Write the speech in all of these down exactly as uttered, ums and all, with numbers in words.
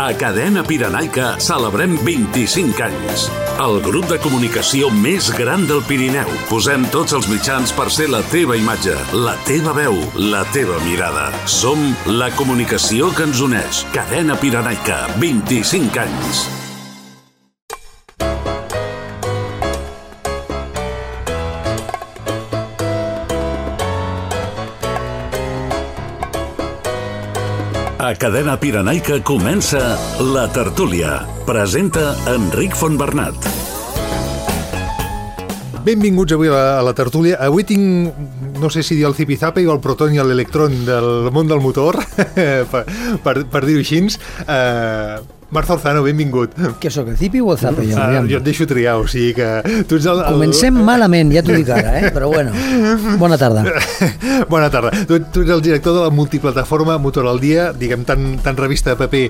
A Cadena Pirenaica celebrem vint-i-cinc anys. El grup de comunicació més gran del Pirineu. Posem tots els mitjans per ser la teva imatge, la teva veu, la teva mirada. Som la comunicació que ens uneix. Cadena Pirenaica, vint-i-cinc anys. A Cadena Pirenaica comença La Tertúlia. Presenta Enric Fontbernat. Benvinguts avui a la, a la tertúlia. Avui tinc, no sé si dir el zipizape o el proton i l'electron del món del motor, per, per, per dir-ho així. Uh, Marta Orzano, benvingut. Què sóc, el zipi o el zape? Jo, uh, jo et deixo triar, o sigui que... Tu ets el, el... Comencem malament, ja t'ho dic ara, eh? Però bueno, bona tarda. Bona tarda. Tu, tu ets el director de la multiplataforma Motor al Dia, diguem, tant, tant revista de paper...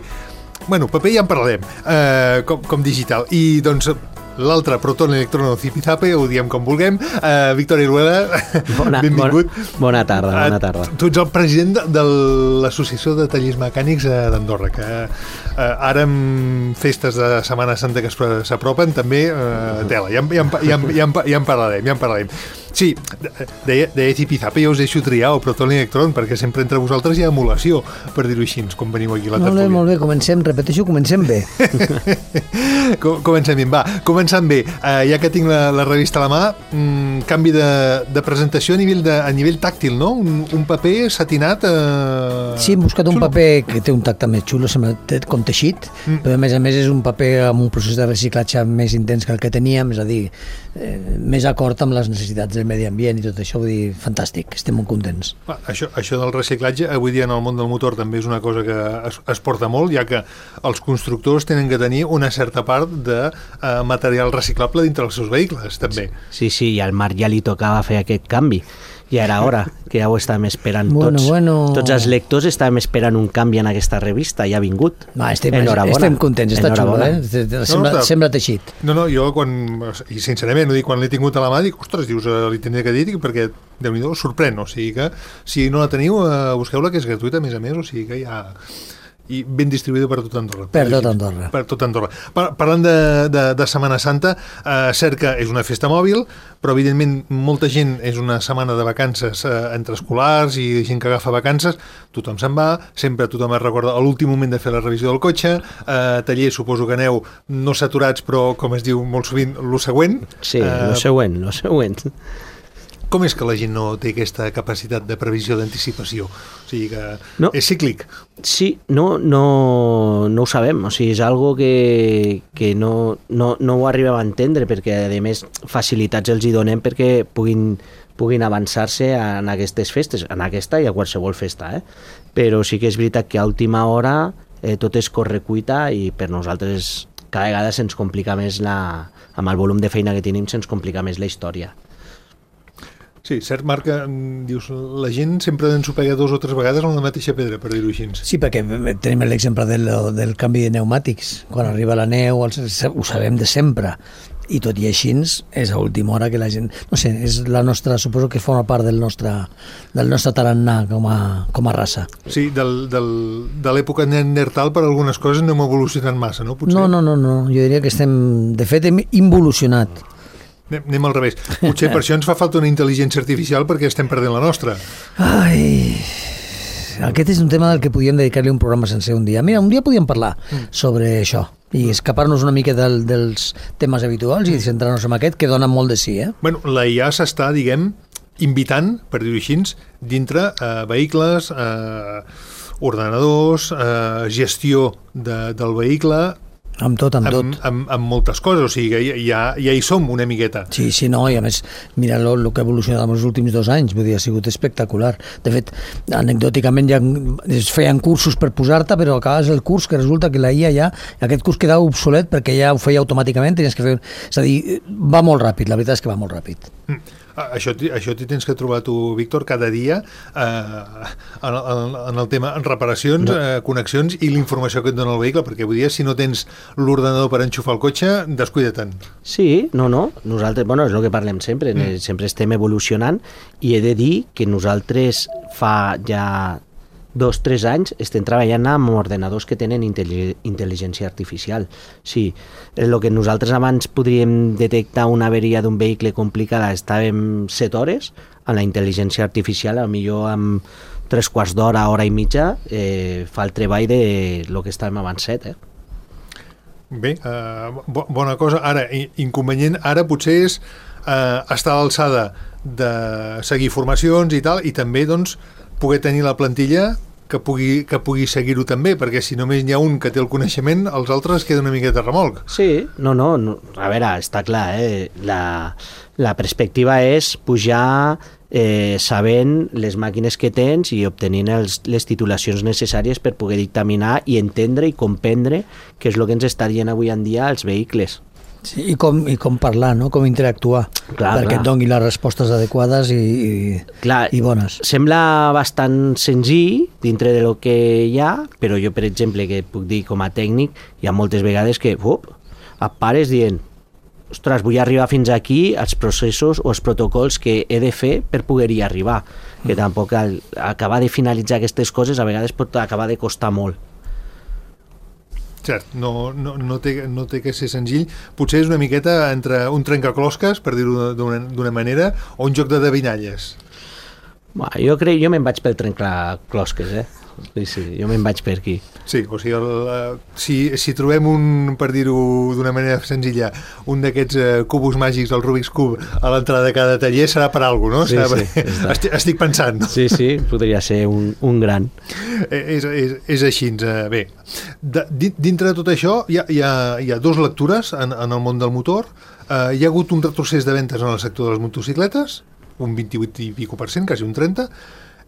Bueno, paper ja en parlarem, uh, com, com digital. I, doncs, l'altre, proton, electron o zipizape, ho diem com vulguem. Uh, Víctor Iruela, bona, benvingut. Bona, bona tarda, bona tarda. Uh, tu ets el president de, de l'Associació de Tallers Mecànics d'Andorra, que uh, ara amb festes de Setmana Santa que s'apropen, també uh, tela, ja, ja, ja, ja, ja en parlarem, ja en parlarem. Sí, deia, deia zipizape, jo us deixo triar el proton i l'electron, perquè sempre entre vosaltres hi ha emulació, per dir-ho així, com veniu aquí a la tertúlia. Molt bé, molt bé, comencem, repeteixo, comencem bé. Comencem bé, va, començant bé. Uh, ja que tinc la, la revista a la mà, um, canvi de, de presentació a nivell, de, a nivell tàctil, no? Un, un paper satinat... Uh... Sí, hem buscat un xulo. Paper que té un tacte més xulo, sembla com teixit, mm. però a més a més és un paper amb un procés de reciclatge més intens que el que teníem, és a dir, eh, més acord amb les necessitats del medi ambient i tot això, vull dir, fantàstic, estem molt contents. Ah, això, això del reciclatge, avui dia en el món del motor també és una cosa que es, es porta molt, ja que els constructors tenen que tenir una certa part de uh, material reciclable dintre els seus vehicles, també. Sí, sí, i al Marc ja li tocava fer aquest canvi. Ja era hora, que ja ho estàvem esperant bueno, tots. Bueno. Tots els lectors estàvem esperant un canvi en aquesta revista, ja ha vingut. No, estem, estem contents, està xulo, eh? Sembla, no, no, sembla teixit. No, no, jo quan, i sincerament, quan l'he tingut a la mà, dic, ostres, dius, li tindré que dir, perquè, Déu-n'hi-do, sorprèn, o sigui que, si no la teniu, busqueu-la, que és gratuïta, a més a més, o sigui que ja... i ben distribuïda per tot Andorra. Per tot Andorra. Per tot Andorra. Par parlant de, de, de Setmana Santa, eh, cert que és una festa mòbil, però evidentment molta gent és una setmana de vacances eh, entre escolars i gent que agafa vacances, tothom se'n va, sempre tothom es recorda a l'últim moment de fer la revisió del cotxe, eh, taller suposo que aneu no saturats, però com es diu molt sovint, lo següent. Sí, eh, lo següent, lo següent. Com és que la gent no té aquesta capacitat de previsió, d'anticipació? O sigui que no. És cíclic. Sí, no, no, no ho sabem. O sigui, és algo que, que no, no, no ho arribem a entendre, perquè a més facilitats els hi donem perquè puguin, puguin avançar-se en aquestes festes, en aquesta i a qualsevol festa. Eh? Però sí que és veritat que a última hora eh, tot és correcuita i per nosaltres cada vegada se'ns complica més, la, amb el volum de feina que tenim, se'ns complica més la història. Sí, cert, Marc, dius, la gent sempre ensopega dos o tres vegades en la mateixa pedra, per dir-ho així. Sí, perquè tenim l'exemple del, del canvi de pneumàtics. Quan arriba la neu, els, ho sabem de sempre. I tot i així és a última hora que la gent... No sé, és la nostra, suposo que forma part del nostre, del nostre tarannà com a, com a raça. Sí, del, del, de l'època neandertal per algunes coses no hem evolucionat massa, no? Potser? No, no, no, no. Jo diria que estem... De fet, hem involucionat. Anem al revés. Potser per això ens fa falta una intel·ligència artificial perquè estem perdent la nostra. Ai... Aquest és un tema del que podíem dedicar-li un programa sencer un dia. Mira, un dia podíem parlar mm. sobre això i escapar-nos una mica del, dels temes habituals i centrar-nos en aquest, que dona molt de sí, eh? Bueno, la I A s'està, diguem, invitant, per dir-ho així, dintre eh, vehicles, eh, ordenadors, eh, gestió de, del vehicle... Amb tot, amb, amb tot. Amb, amb moltes coses, o sigui que ja, ja hi som una miqueta. Sí, sí, no, i a més, mira el que ha evolucionat en els últims dos anys, vull dir, ha sigut espectacular. De fet, anecdòticament ja es feien cursos per posar-te, però acabes el curs que resulta que la I A ja, aquest curs quedava obsolet perquè ja ho feia automàticament, tenies que fer... És a dir, va molt ràpid, la veritat és que va molt ràpid. Mm. Això, això t'hi tens que trobar tu, Víctor, cada dia eh, en, en, en el tema en reparacions, no. eh, connexions i l'informació que et dona el vehicle, perquè avui dia si no tens l'ordenador per enxufar el cotxe, descuida-te'n. Sí, no, no, nosaltres, bueno, és el que parlem sempre, mm. sempre estem evolucionant i he de dir que nosaltres fa ja dos o tres anys estem treballant amb ordenadors que tenen intel·ligència artificial. Sí, el que nosaltres abans podríem detectar una averia d'un vehicle complicada estàvem set hores, amb la intel·ligència artificial, a millor amb tres quarts d'hora, hora i mitja, eh, fa el treball de lo que estàvem abans set, eh? Bé, uh, bo, bona cosa. Ara, inconvenient, ara potser és uh, estar a l'alçada de seguir formacions i tal, i també, doncs, poder tenir la plantilla que pugui, que pugui seguir-ho també, perquè si només n'hi ha un que té el coneixement, els altres queden una miqueta remolc. Sí, no, no, no. A veure, està clar, eh? La, la perspectiva és pujar eh, sabent les màquines que tens i obtenint els, les titulacions necessàries per poder dictaminar i entendre i comprendre què és el que ens està dient avui en dia els vehicles. Sí, i, com, i com parlar, no? Com interactuar, clar, perquè clar. et doni les respostes adequades i, i, clar, i bones. Sembla bastant senzill dintre de lo que hi ha, però jo, per exemple, que puc dir com a tècnic, hi ha moltes vegades que up, et pares dient ostres, vull arribar fins aquí, els processos o els protocols que he de fer per poder-hi arribar, que tampoc al, acabar de finalitzar aquestes coses a vegades pot acabar de costar molt. Cert, no, no, no, té, no té que ser senzill. Potser és una miqueta entre un trencaclosques, per dir-ho d'una manera, o un joc de devinalles. Bah, jo crec, jo me'n vaig pel trencaclosques, eh? Sí, sí, jo me'n vaig per aquí. Sí, o sigui, el, si, si trobem un, per dir-ho d'una manera senzilla, un d'aquests uh, cubos màgics, el Rubik's Cube, a l'entrada de cada taller, serà per alguna cosa, no? Sí, serà sí, per... estic, estic pensant, no? Sí, sí, podria ser un, un gran. És, és, és així, uh, bé. De, dintre de tot això, hi ha, hi ha, hi ha dues lectures en, en el món del motor. Uh, hi ha hagut un retrocés de ventes en el sector de les motocicletes, un vint-i-vuit i pico per cent, quasi un trenta,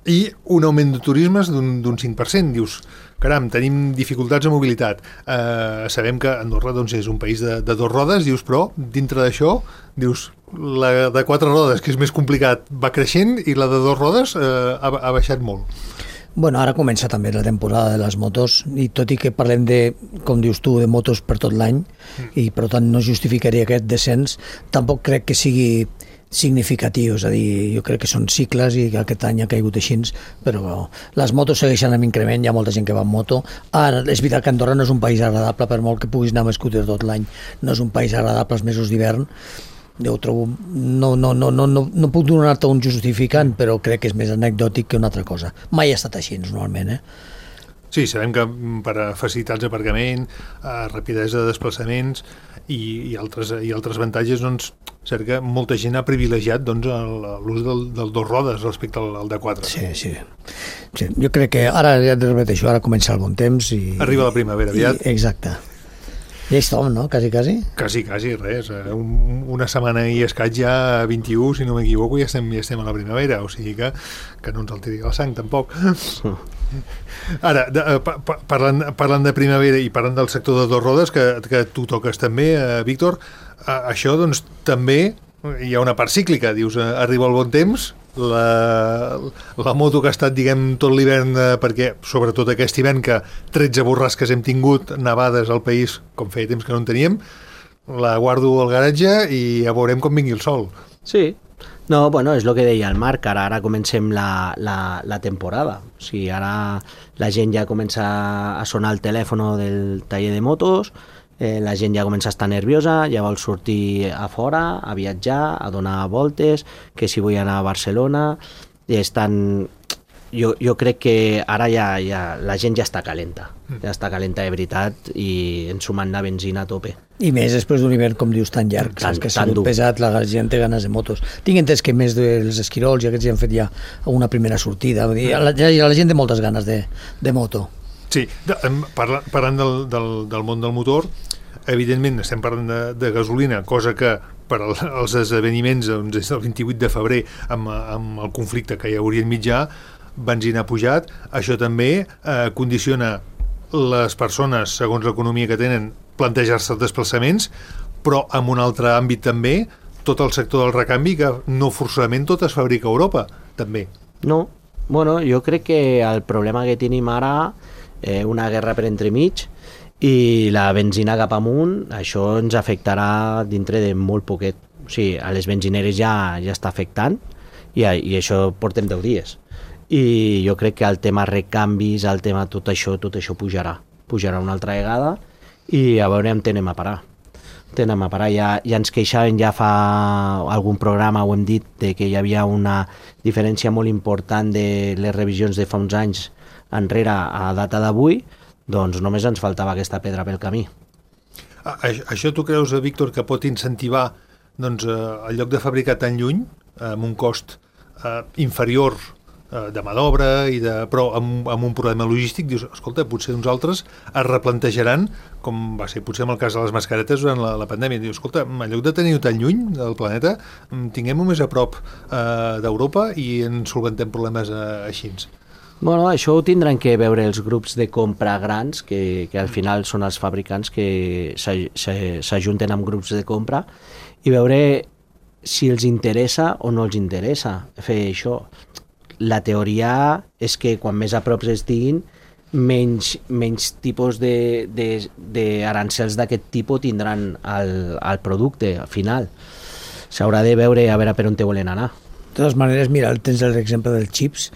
i un augment de turismes d'un cinc per cent. Dius, caram, tenim dificultats de mobilitat. Eh, sabem que Andorra doncs, és un país de, de dos rodes, dius, però dintre d'això, dius, la de quatre rodes, que és més complicat, va creixent, i la de dos rodes eh, ha, ha baixat molt. Bueno, ara comença també la temporada de les motos, i tot i que parlem de, com dius tu, de motos per tot l'any, mm. i per tant no justificaria aquest descens, tampoc crec que sigui significatiu, és a dir, jo crec que són cicles i que aquest any ha caigut així, però les motos segueixen amb increment, hi ha molta gent que va amb moto. Ara, és veritat que Andorra no és un país agradable, per molt que puguis anar amb scooter tot l'any, no és un país agradable als mesos d'hivern. Jo ho trobo, no, no, no, no, no, no puc donar-te un justificant, però crec que és més anecdòtic que una altra cosa. Mai ha estat així, normalment, eh? Sí, sabem que per a facilitats d'aparcament, rapidesa de desplaçaments i, i, altres, i altres avantatges, doncs, cert que molta gent ha privilegiat doncs, l'ús del, del dos rodes respecte al, al de quatre. Sí, sí, sí. Jo crec que ara, ja et repeteixo, ara comença el bon temps i... Arriba la primavera aviat. I, exacte. Ja hi estem, no? Quasi, quasi? Quasi, quasi, res. Un, una setmana i escaig ja, vint-i-u, si no m'equivoco, ja estem, ja estem a la primavera, o sigui que, que no ens alteri la sang, tampoc. Ara, de, pa, pa, parlant, parlant de primavera i parlant del sector de dos rodes, que, que tu toques també, eh, Víctor, eh, això, doncs, també hi ha una part cíclica. Dius, eh, arriba el bon temps, la, la moto que ha estat, diguem, tot l'hivern, eh, perquè, sobretot aquest hivern, que tretze borrasques hem tingut, nevades al país, com feia temps que no en teníem, la guardo al garatge i ja veurem com vingui el sol. Sí. No, bueno, és el que deia el Marc, ara, ara comencem la, la, la temporada. O sigui, ara la gent ja comença a sonar el telèfon del taller de motos, eh, la gent ja comença a estar nerviosa, ja vol sortir a fora, a viatjar, a donar voltes, que si vull anar a Barcelona, i estan... Jo, jo crec que ara ja, ja la gent ja està calenta, ja està calenta de veritat i ens sumant la benzina a tope. I més després d'un hivern, com dius, tan llarg, tan, que ha sigut pesat, la gent té ganes de motos. Tinc entès que més dels esquirols i aquests ja han fet ja una primera sortida, vull dir, la, ja, la gent té moltes ganes de, de moto. Sí, de, parla, parlant del, del, del món del motor, evidentment estem parlant de, de gasolina, cosa que per als esdeveniments doncs, des del vint-i-vuit de febrer amb, amb el conflicte que hi hauria enmig ja, benzina ha pujat. Això també eh, condiciona les persones, segons l'economia que tenen, plantejar-se els desplaçaments, però en un altre àmbit també, tot el sector del recanvi, que no forçosament tot es fabrica a Europa, també. No, bueno, jo crec que el problema que tenim ara, eh, una guerra per entremig, i la benzina cap amunt, això ens afectarà dintre de molt poquet. O sigui, a les benzineres ja, ja està afectant, i, i això portem deu dies. i jo crec que el tema recanvis, el tema tot això, tot això pujarà, pujarà una altra vegada i a veure on anem a parar. Anem a parar. Ja, ja ens queixaven ja fa algun programa, ho hem dit, de que hi havia una diferència molt important de les revisions de fa uns anys enrere a data d'avui, doncs només ens faltava aquesta pedra pel camí. A, això tu creus, Víctor, que pot incentivar doncs, eh, el lloc de fabricar tan lluny, eh, amb un cost eh, inferior de mà d'obra, i de, però amb, amb un problema logístic, dius, escolta, potser uns altres es replantejaran, com va ser potser amb el cas de les mascaretes durant la, la pandèmia, dius, escolta, en lloc de tenir-ho tan lluny del planeta, tinguem-ho més a prop eh, d'Europa i ens solventem problemes eh, així. Bueno, això ho tindran que veure els grups de compra grans, que, que al final són els fabricants que s'ajunten amb grups de compra, i veure si els interessa o no els interessa fer això. La teoria és que quan més a prop estiguin, menys, menys tipus d'arancels d'aquest tipus tindran el, el producte final. S'haurà de veure a veure per on te volen anar. De totes maneres, mira, tens l'exemple dels xips,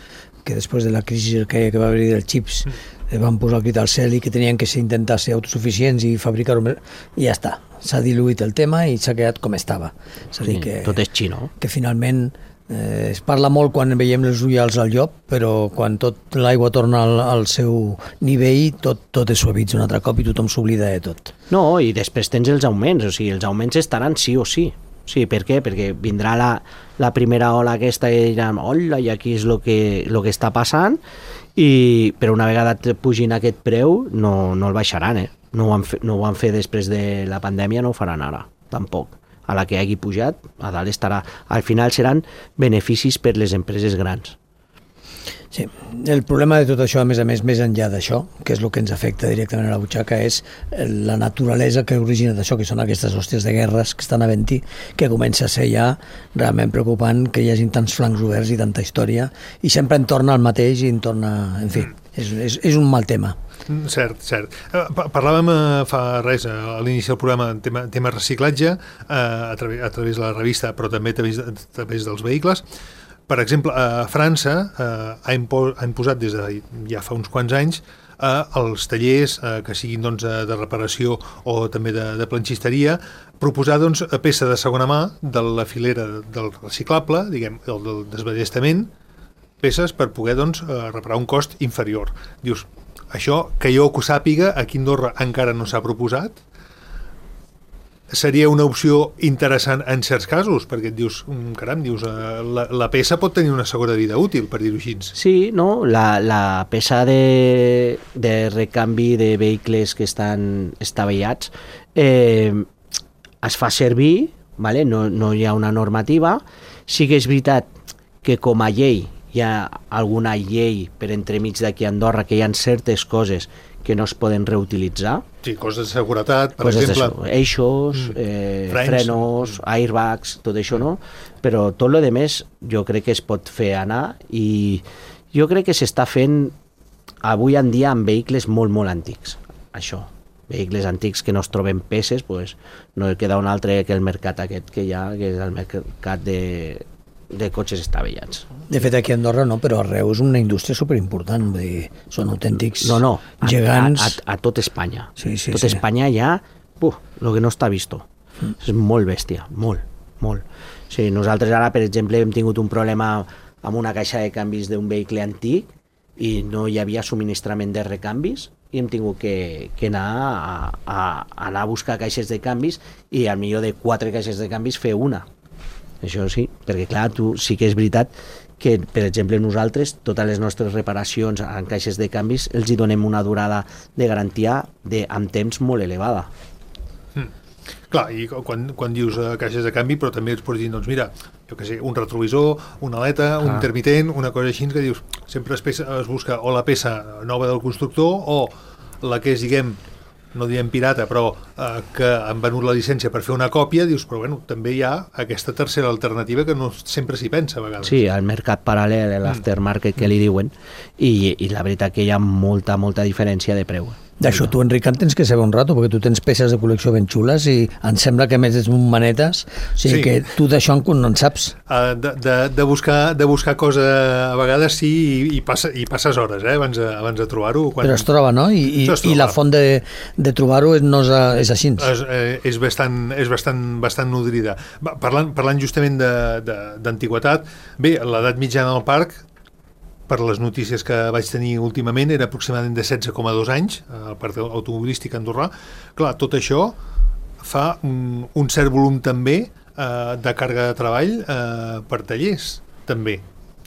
que després de la crisi que, que va haver-hi dels xips mm. van posar el crit al cel i que tenien que ser, intentar ser autosuficients i fabricar-ho més, i ja està. S'ha diluït el tema i s'ha quedat com estava. És a dir, sí, que, tot és xino. Que finalment Eh, es parla molt quan veiem els ullals al llop, però quan tot l'aigua torna al, al seu nivell, tot, tot es suavitza un altre cop i tothom s'oblida de tot. No, i després tens els augments, o sigui, els augments estaran sí o sí. Sí, per què? Perquè vindrà la, la primera ola aquesta i diran, hola, i aquí és el que, lo que està passant, i, però una vegada pugin aquest preu no, no el baixaran, eh? No ho, han fe, no ho van fer després de la pandèmia, no ho faran ara, tampoc. A la que hagi pujat, a dalt estarà. Al final seran beneficis per les empreses grans. Sí, el problema de tot això, a més a més, més enllà d'això, que és el que ens afecta directament a la butxaca, és la naturalesa que origina d'això, que són aquestes hòsties de guerres que estan havent-hi, que comença a ser ja realment preocupant que hi hagi tants flancs oberts i tanta història, i sempre en torna al mateix i en torna... En fi, és, és, és un mal tema. Cert, cert. Parlàvem fa res a l'inici del programa en tema, tema reciclatge a través, a través de la revista, però també a través, a través dels vehicles. Per exemple, a França eh, ha, impo ha imposat des de ja fa uns quants anys eh, els tallers eh, que siguin doncs, de reparació o també de, de planxisteria, proposar doncs, a peça de segona mà de la filera del reciclable, diguem, el del desballestament, peces per poder doncs, reparar un cost inferior. Dius, això, que jo que ho sàpiga, aquí a Andorra encara no s'ha proposat, seria una opció interessant en certs casos, perquè et dius, caram, dius, la, la peça pot tenir una segona vida útil, per dir-ho així. Sí, no? La, la peça de, de recanvi de vehicles que estan estavellats eh, es fa servir, vale? no, no hi ha una normativa. Sí que és veritat que com a llei hi ha alguna llei per entremig d'aquí a Andorra que hi ha certes coses que no es poden reutilitzar. Sí, coses de seguretat, per coses exemple. De eixos, mm. eh, Frens. frenos, airbags, tot això, no? Però tot lo de més jo crec que es pot fer anar i jo crec que s'està fent avui en dia amb vehicles molt, molt antics. Això, vehicles antics que no es troben peces, pues, no queda un altre que el mercat aquest que hi ha, que és el mercat de... de cotxes estavellats. De fet, aquí a Andorra no, però arreu és una indústria superimportant, vull dir, són autèntics no, no, gegants. A, a, a tot Espanya. Sí, sí, tot sí. Espanya ja, puh, lo que no està visto. Mm. És molt bèstia, molt, molt. Sí, nosaltres ara, per exemple, hem tingut un problema amb una caixa de canvis d'un vehicle antic i no hi havia subministrament de recanvis i hem tingut que, que anar a, a, a anar a buscar caixes de canvis i al millor de quatre caixes de canvis fer una. Això sí, perquè clar, tu sí que és veritat que, per exemple, nosaltres, totes les nostres reparacions en caixes de canvis, els hi donem una durada de garantia de, amb temps molt elevada. Mm. Clar, i quan, quan dius uh, caixes de canvi, però també es pots dir, doncs mira, jo què sé, un retrovisor, una aleta, ah. un intermitent, una cosa així que dius, sempre es, peça, es busca o la peça nova del constructor o la que és, diguem, no diem pirata, però eh, que han venut la llicència per fer una còpia, dius, però bueno, també hi ha aquesta tercera alternativa que no sempre s'hi pensa a vegades. Sí, el mercat paral·lel, l'aftermarket mm. que li diuen, i, i la veritat que hi ha molta, molta diferència de preu. D'això tu, Enric, en tens que saber un rato, perquè tu tens peces de col·lecció ben xules i em sembla que a més ets un manetes, o sigui sí. que tu d'això no en saps. Uh, de, de, de, buscar, de buscar cosa a vegades sí i, i, passa, i passes hores eh, abans, de, abans de trobar-ho. Quan... Però es troba, no? I, i, troba. I la font de, de trobar-ho no és, és així. És, eh, és, bastant, és bastant, bastant nodrida. Parlant, parlant justament d'antiguitat, bé, l'edat mitjana del parc, per les notícies que vaig tenir últimament, era aproximadament de setze coma dos anys, al parc automobilístic andorrà. Clar, tot això fa un, un cert volum també eh, de càrrega de treball eh, per tallers, també.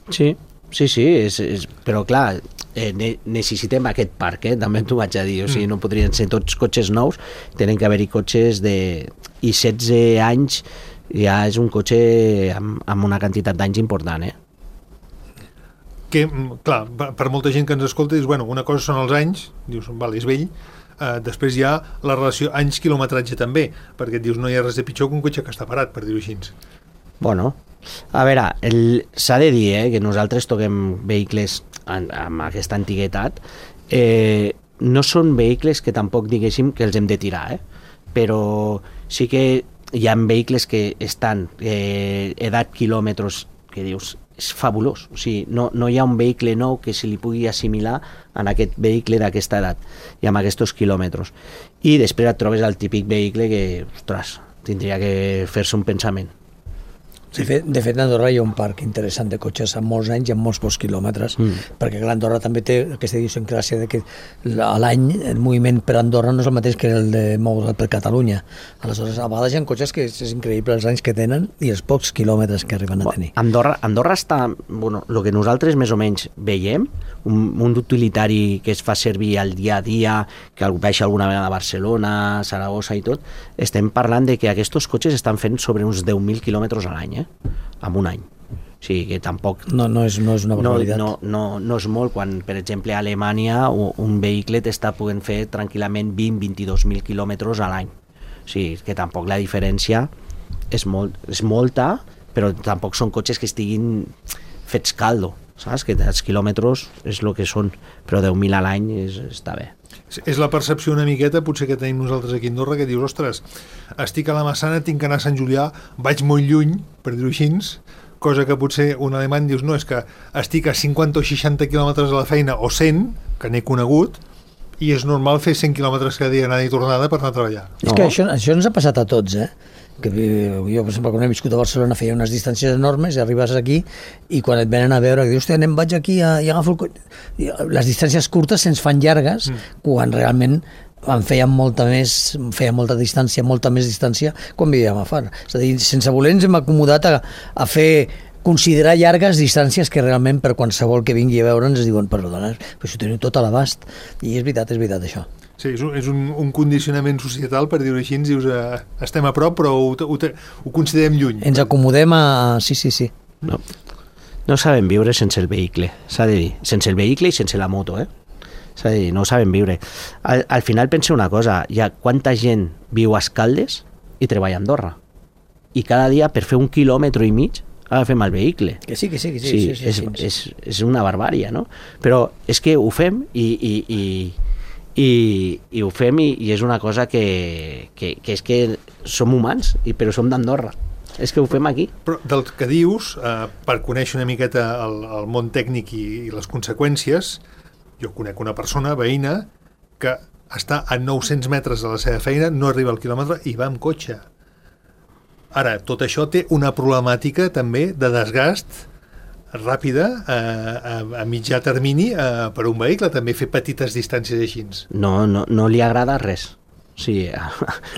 Sí, sí, sí, és, és, però clar, eh, ne necessitem aquest parc, eh? També t'ho vaig a dir, o sigui, no podrien ser tots cotxes nous, tenen que haver-hi cotxes de... i setze anys ja és un cotxe amb, amb una quantitat d'anys important, eh? Que, clar, per molta gent que ens escolta, dius, bueno, una cosa són els anys, dius, val, és vell, eh, després hi ha la relació anys-quilometratge també, perquè et dius, no hi ha res de pitjor que un cotxe que està parat, per dir-ho així. Bueno, a veure, s'ha de dir eh, que nosaltres toquem vehicles en, amb aquesta antiguitat, eh, no són vehicles que tampoc diguéssim que els hem de tirar, eh? Però sí que hi ha vehicles que estan eh, edat quilòmetres que dius, és fabulós, o sigui, no, no hi ha un vehicle nou que se li pugui assimilar en aquest vehicle d'aquesta edat i amb aquests quilòmetres. I després et trobes el típic vehicle que, ostres, tindria que fer-se un pensament. De fet, de fet, a Andorra hi ha un parc interessant de cotxes amb molts anys i amb molts pocs quilòmetres, mm. perquè Andorra també té aquesta idiosincràsia de que a l'any el moviment per Andorra no és el mateix que el de moure's per Catalunya. Aleshores, a vegades hi ha cotxes que és, és increïble els anys que tenen i els pocs quilòmetres que arriben a tenir. Andorra, Andorra està, bueno, el que nosaltres més o menys veiem, un, un utilitari que es fa servir al dia a dia, que baixa alguna vegada a Barcelona, Saragossa i tot, estem parlant de que aquests cotxes estan fent sobre uns deu mil quilòmetres a l'any, eh? En un any. O sigui que tampoc... No, no, és, no és una barbaritat. No, no, no, no és molt quan, per exemple, a Alemanya un vehicle t'està podent fer tranquil·lament vint a vint-i-dos mil quilòmetres a l'any. O sigui que tampoc la diferència és, molt, és molta, però tampoc són cotxes que estiguin fets caldo, saps? Que els quilòmetres és el que són, però deu mil a l'any és, està bé. És la percepció una miqueta, potser que tenim nosaltres aquí a Andorra, que dius, ostres, estic a la Massana, tinc que anar a Sant Julià, vaig molt lluny, per dir-ho així, cosa que potser un alemany dius, no, és que estic a cinquanta o seixanta quilòmetres a la feina, o cent, que n'he conegut, i és normal fer cent quilòmetres cada dia anada i tornada per anar a treballar. No. És que això, això ens ha passat a tots, eh? Que jo, per exemple, quan he viscut a Barcelona feia unes distàncies enormes i arribes aquí i quan et venen a veure, que dius, hòstia, anem, vaig aquí a, i agafo el cotxe. Les distàncies curtes se'ns fan llargues mm. quan realment en feien molta més, feia molta distància, molta més distància quan vivíem a Far. És a dir, sense voler ens hem acomodat a, a fer considerar llargues distàncies que realment per qualsevol que vingui a veure'ns es diuen, perdona, però això teniu tot a l'abast. I és veritat, és veritat això. Sí, és un, és un, un condicionament societal, per dir-ho així, ens dius, eh, estem a prop, però ho, ho, ho considerem lluny. Ens acomodem a... Sí, sí, sí. No, no sabem viure sense el vehicle, s'ha de dir. Sense el vehicle i sense la moto, eh? S'ha de dir, no ho sabem viure. Al, al final pensa una cosa, hi ha quanta gent viu a Escaldes i treballa a Andorra. I cada dia, per fer un quilòmetre i mig, agafem el vehicle. Que sí, que sí, que sí. Sí, sí, sí, és, sí. És, és una barbària, no? Però és que ho fem i... i, i I, i ho fem i, i és una cosa que, que, que és que som humans, i, però som d'Andorra, és que ho fem aquí. Però del que dius, eh, per conèixer una miqueta el, el món tècnic i, i les conseqüències, jo conec una persona, veïna, que està a nou-cents metres de la seva feina, no arriba al quilòmetre i va amb cotxe. Ara, tot això té una problemàtica també de desgast ràpida, a, a, a mitjà termini, a, per un vehicle, també fer petites distàncies així. No, no, no li agrada res. O sigui,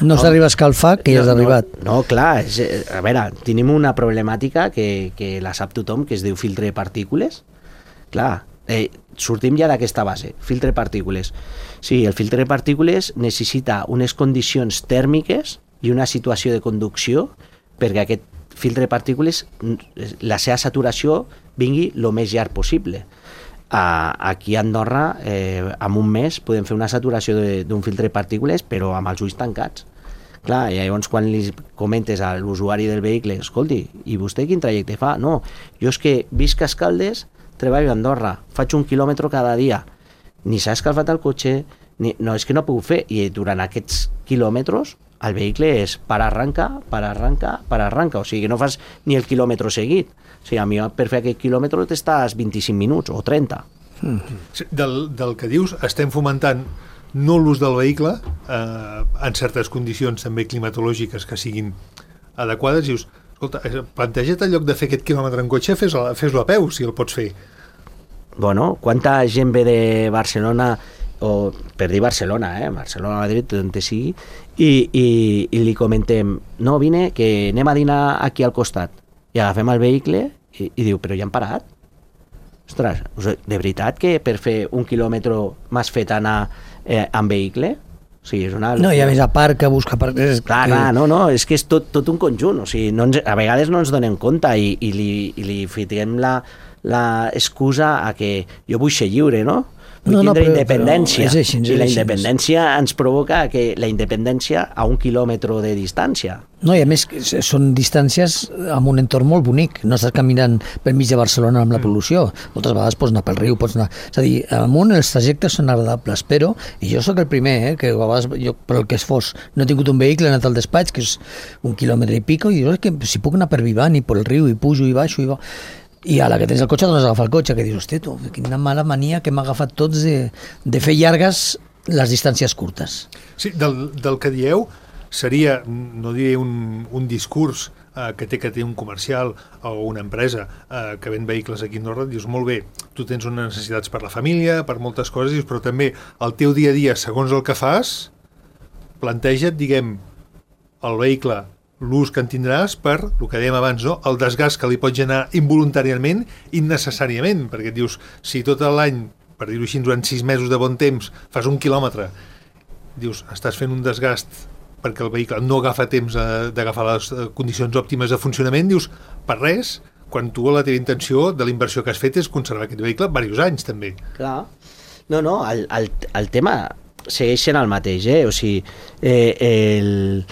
no s'arriba a escalfar, que ja has no, arribat. No, no clar, és, a veure, tenim una problemàtica que, que la sap tothom, que es diu filtre de partícules. Clar, eh, sortim ja d'aquesta base, filtre de partícules. Sí, el filtre de partícules necessita unes condicions tèrmiques i una situació de conducció perquè aquest filtre de partícules, la seva saturació vingui el més llarg possible. Uh, aquí a Andorra, eh, en un mes, podem fer una saturació d'un filtre de partícules, però amb els ulls tancats. Clar, i llavors quan li comentes a l'usuari del vehicle, escolti, i vostè quin trajecte fa? No, jo és que visc a Escaldes, treballo a Andorra, faig un quilòmetre cada dia, ni s'ha escalfat el cotxe, ni, no, és que no ha pogut fer, i durant aquests quilòmetres el vehicle és para arranca, para arranca, para arranca, o sigui que no fas ni el quilòmetre seguit. O sigui, a mi per fer aquest quilòmetre t'estàs vint-i-cinc minuts o trenta. Mm. Del, del que dius, estem fomentant no l'ús del vehicle eh, en certes condicions també climatològiques que siguin adequades. Dius, escolta, planteja't en lloc de fer aquest quilòmetre en cotxe, fes-lo fes a peu, si el pots fer. Bueno, quanta gent ve de Barcelona, o per dir Barcelona, eh? Barcelona, Madrid, on te sigui, i, i, i li comentem, no, vine, que anem a dinar aquí al costat. I agafem el vehicle i, i diu, però ja han parat? Ostres, de veritat que per fer un quilòmetre m'has fet anar eh, en vehicle? O sigui, és una... No, i a més a part que busca... Per... És clar, que... clar, no, no, és que és tot, tot un conjunt, o sigui, no ens, a vegades no ens donem compte i, i li, i li fiquem la, la excusa a que jo vull ser lliure, no? Vull no, no, tindre però, independència, però és així, és i la així. independència ens provoca que la independència a un quilòmetre de distància. No, i a més són distàncies amb un entorn molt bonic, no estàs caminant per mig de Barcelona amb la pol·lució, moltes vegades pots anar pel riu, pots anar... És a dir, amunt els trajectes són agradables, però, i jo sóc el primer, eh, que a vegades, jo, per el que es fos, no he tingut un vehicle, he anat al despatx, que és un quilòmetre i pico, i dius, que si puc anar per Vivant i per el riu, i pujo i baixo, i va... I a la que tens el cotxe, doncs agafar el cotxe, que dius, hosti, tu, quina mala mania que hem agafat tots de, de fer llargues les distàncies curtes. Sí, del, del que dieu seria, no diré un, un discurs eh, que té que té un comercial o una empresa eh, que ven vehicles aquí a Andorra, dius, molt bé, tu tens unes necessitats per la família, per moltes coses, dius, però també el teu dia a dia, segons el que fas, planteja't, diguem, el vehicle, l'ús que en tindràs per, el que dèiem abans, no? El desgast que li pot generar involuntàriament, innecessàriament, perquè et dius, si tot l'any, per dir-ho així, durant sis mesos de bon temps, fas un quilòmetre, dius, estàs fent un desgast perquè el vehicle no agafa temps d'agafar les condicions òptimes de funcionament, dius, per res, quan tu la teva intenció de la inversió que has fet és conservar aquest vehicle diversos anys, també. Clar. No, no, el, el, el tema segueix sent el mateix, eh? O sigui, eh, el...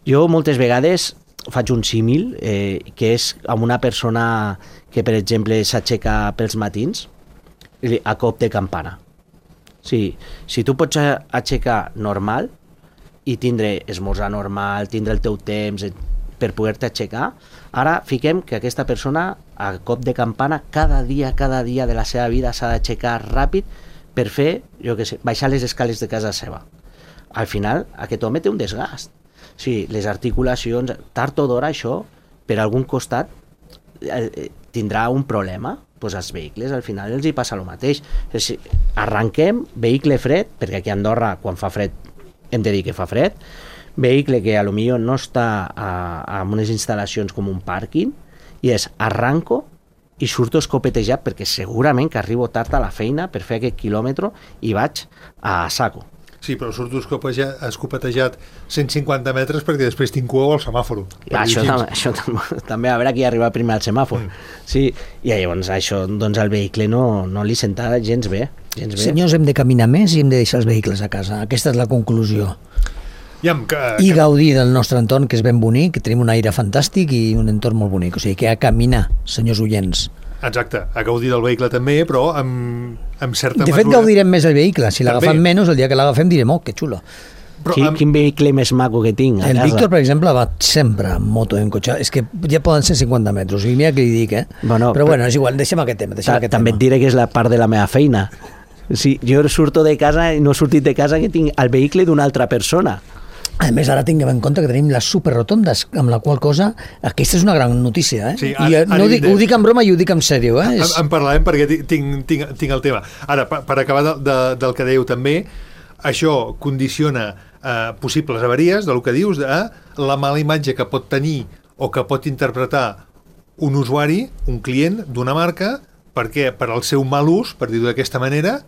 Jo moltes vegades faig un símil, eh, que és amb una persona que, per exemple, s'aixeca pels matins a cop de campana. Sí, si tu pots aixecar normal i tindre esmorzar normal, tindre el teu temps per poder-te aixecar, ara fiquem que aquesta persona a cop de campana cada dia, cada dia de la seva vida s'ha d'aixecar ràpid per fer, jo què sé, baixar les escales de casa seva. Al final, aquest home té un desgast. Sí, les articulacions, tard o d'hora això, per algun costat, eh, tindrà un problema. Pues als vehicles al final els hi passa el mateix. Si arranquem, vehicle fred, perquè aquí a Andorra quan fa fred hem de dir que fa fred, vehicle que a lo millor no està a, a unes instal·lacions com un pàrquing, i és arranco i surto escopetejat perquè segurament que arribo tard a la feina per fer aquest quilòmetre i vaig a saco. Sí, però surto escopetejat cent cinquanta metres perquè després tinc cua al semàforo. Això, tam això tam també, a veure qui arriba primer al semàfor. Mm. Sí, i llavors això, doncs el vehicle no, no li senta gens bé, gens bé. Senyors, hem de caminar més i hem de deixar els vehicles a casa. Aquesta és la conclusió. I, amb, que, I gaudir del nostre entorn, que és ben bonic, que tenim un aire fantàstic i un entorn molt bonic. O sigui, que a caminar, senyors oients. Exacte, a gaudir del vehicle també, però amb, amb certa mesura. De fet, gaudirem més el vehicle. Si l'agafem menys, el dia que l'agafem direm, oh, que xulo. Però quin, amb... quin vehicle més maco que tinc a el casa. Víctor, per exemple, va sempre en moto, en cotxe. És que ja poden ser cinquanta metres. I mira què li dic, eh? Bueno, però, però bueno, és igual, deixem aquest tema. Deixem aquest també tema. Et diré que és la part de la meva feina. Sí, jo surto de casa i no he sortit de casa que tinc el vehicle d'una altra persona. A més, ara tinguem en compte que tenim les superrotondes, amb la qual cosa, aquesta és una gran notícia, eh? Sí, ara, I no ho dic, ho dic en broma i ho dic en sèrio, eh? En, en parlarem perquè tinc, tinc, tinc el tema. Ara, per, per acabar de, de, del que dèieu també, això condiciona eh, possibles avaries, del que dius, de la mala imatge que pot tenir o que pot interpretar un usuari, un client d'una marca, perquè per al seu mal ús, per dir-ho d'aquesta manera,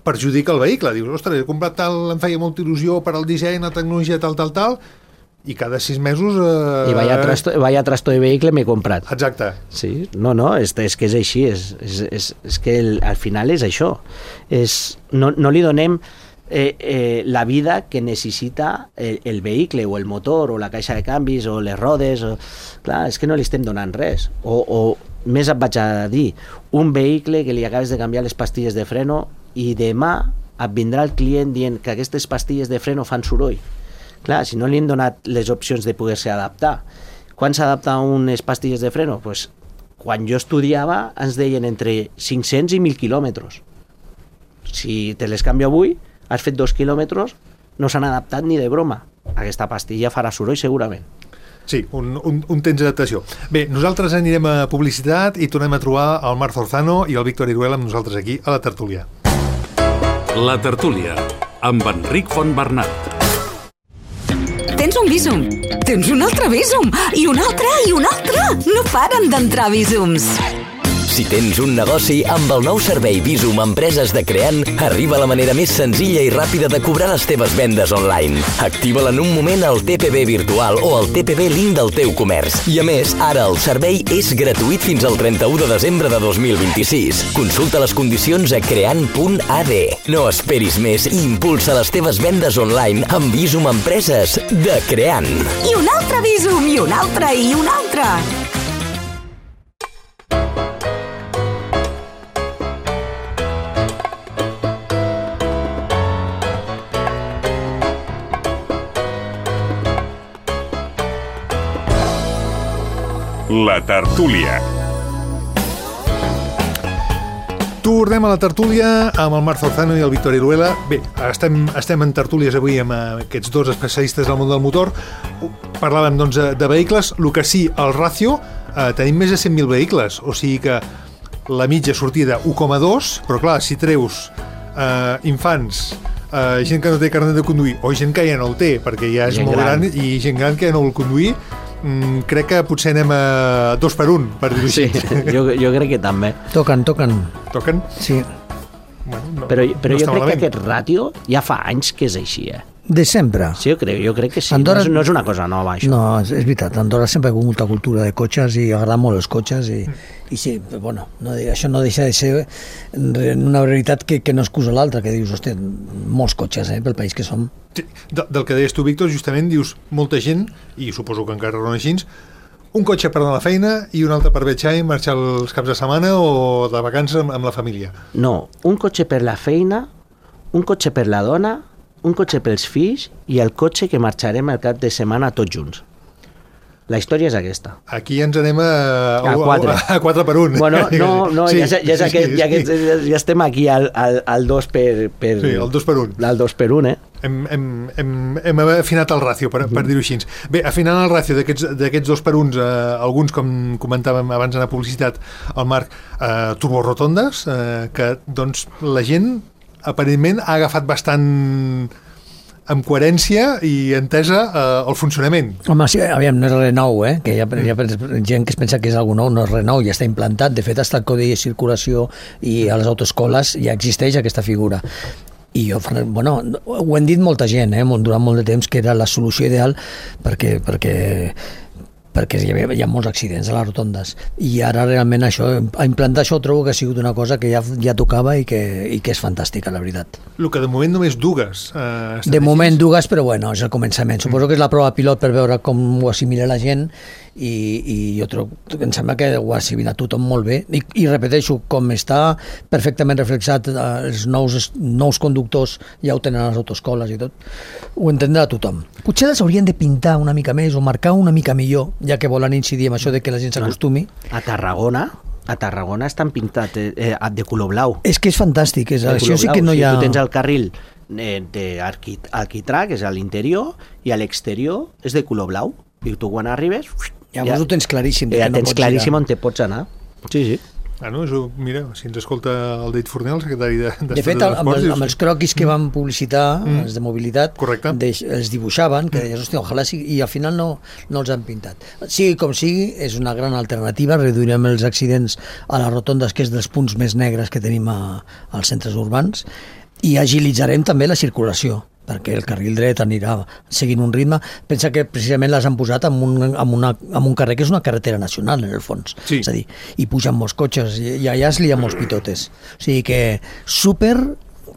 perjudica el vehicle. Dius, ostres, he comprat tal, em feia molta il·lusió per al disseny, la tecnologia, tal, tal, tal, i cada sis mesos... Eh... I vaya trasto, vaya trasto de vehicle m'he comprat. Exacte. Sí, no, no, és, és que és així, és, és, és, és que el, al final és això. És, no, no li donem eh, eh, la vida que necessita el, el vehicle, o el motor, o la caixa de canvis, o les rodes, o... clar, és que no li estem donant res. O, o més et vaig a dir, un vehicle que li acabes de canviar les pastilles de freno i demà et vindrà el client dient que aquestes pastilles de freno fan soroll. Clar, si no li hem donat les opcions de poder-se adaptar. Quan s'adapta unes pastilles de freno? Pues, quan jo estudiava ens deien entre cinc-cents i mil quilòmetres. Si te les canvio avui, has fet dos quilòmetres, no s'han adaptat ni de broma. Aquesta pastilla farà soroll segurament. Sí, un, un, un temps d'adaptació. Bé, nosaltres anirem a publicitat i tornem a trobar el Marc Zorzano i el Víctor Iruela amb nosaltres aquí a la tertúlia. La tertúlia, amb Enric Fontbernat. Tens un Bizum, tens un altre Bizum, i un altre, i un altre. No paren d'entrar Bizums. Si tens un negoci, amb el nou servei Bizum Empreses de Creant, arriba la manera més senzilla i ràpida de cobrar les teves vendes online. Activa-la en un moment al T P B virtual o al T P B link del teu comerç. I a més, ara el servei és gratuït fins al trenta-u de desembre de dos mil vint-i-sis. Consulta les condicions a creant punt a d. No esperis més i impulsa les teves vendes online amb Bizum Empreses de Creant. I un altre Bizum, i un altre, i un altre. La tertúlia. Tornem a la tertúlia amb el Marc Zorzano i el Víctor Iruela. Bé, estem, estem en tertúlies avui amb aquests dos especialistes del món del motor. Parlàvem, doncs, de vehicles. El que sí, el ràcio, eh, tenim més de cent mil vehicles, o sigui que la mitja sortida u coma dos, però clar, si treus eh, infants, eh, gent que no té carnet de conduir, o gent que ja no el té, perquè ja és gent molt gran. gran, i gent gran que ja no vol conduir, Mm, crec que potser anem a dos per un, per dir-ho Sí, així. jo, jo crec que també. Toquen, toquen. Toquen? Sí. Bueno, no, Però, però no jo està crec malament. que aquest ràtio ja fa anys que és així, eh? De sempre. Sí, jo crec, jo crec que sí. Andorra- No, és, no és una cosa nova, això. No, és, és veritat, a Andorra sempre ha hagut molta cultura de cotxes i agrada molt els cotxes i, i sí, bueno, no, això no deixa de ser una veritat que, que no excusa l'altra, que dius, hosti, molts cotxes, eh, pel país que som. Sí, de, del que deies tu, Víctor, justament dius molta gent, i suposo que encara no així, un cotxe per anar a la feina i un altre per viatjar i marxar els caps de setmana o de vacances amb, amb la família. No, un cotxe per la feina, un cotxe per la dona, un cotxe pels fills i el cotxe que marxarem el cap de setmana tots junts. La història és aquesta. Aquí ens anem a, A quatre. a, a quatre per un. Bueno, no, no Sí, ja, és- ja, és sí, aquest, sí, ja, sí. aquest, ja estem aquí al, al, al dos per, per... Sí, el dos per un. Al dos per un, eh? Hem, hem, hem, hem afinat el ràcio, per, per dir-ho així. Bé, afinant el ràcio d'aquests d'aquests dos per uns, eh, alguns, com comentàvem abans en la publicitat, el Marc, eh, turborotondes, eh, que doncs la gent aparentment ha agafat bastant amb coherència i entesa eh, el funcionament. Home, sí, aviam, no és res nou, eh? Que hi ha, hi ha gent que es pensa que és algo nou, no és res nou, ja està implantat. De fet, hasta el codi de circulació i a les autoescoles ja existeix aquesta figura. I jo, bueno, ho hem dit molta gent, eh, durant molt de temps, que era la solució ideal perquè, perquè perquè hi, havia, hi ha molts accidents a les rotondes i ara realment això, a implantar això trobo que ha sigut una cosa que ja, ja tocava i que, i que és fantàstica, la veritat. El que de moment només dues. Eh, De moment dues, però bueno, és el començament. Suposo que és la prova pilot per veure com ho assimila la gent i, i jo trobo, em sembla que ho ha assimilat tothom molt bé i, i repeteixo, com està perfectament reflexat, eh, els nous, nous conductors ja ho tenen a les autoescoles i tot, ho entendrà tothom. Potser les haurien de pintar una mica més o marcar una mica millor, ja que volen incidir en això de que la gent s'acostumi. A Tarragona, a Tarragona estan pintats eh, eh, de color blau. És que és fantàstic, és, De això color sí blau. que no hi ha... Tu tens el carril eh, d'alquitrà, que és a l'interior, i a l'exterior és de color blau. I tu quan arribes... Llavors ho tens claríssim. Ja que no tens pots claríssim girar. on te pots anar. Sí, sí. Ah, no? Això, mira, si ens escolta el Deit Forner, el secretari de, De fet, el, amb, el, amb els croquis que van publicitar, Mm. els de mobilitat, Correcte. deix, els dibuixaven, que deies, hòstia, ojalà sigui, i al final no, no els han pintat. Sigui com sigui, és una gran alternativa, reduirem els accidents a les rotondes, que és dels punts més negres que tenim a, als centres urbans, i agilitzarem també la circulació, perquè el carril dret anirà seguint un ritme. Pensa que precisament les han posat en un, en una, en un carrer que és una carretera nacional, en el fons. Sí. És a dir, hi pugen molts cotxes i, i allà es lien molts pitotes. O sigui que super,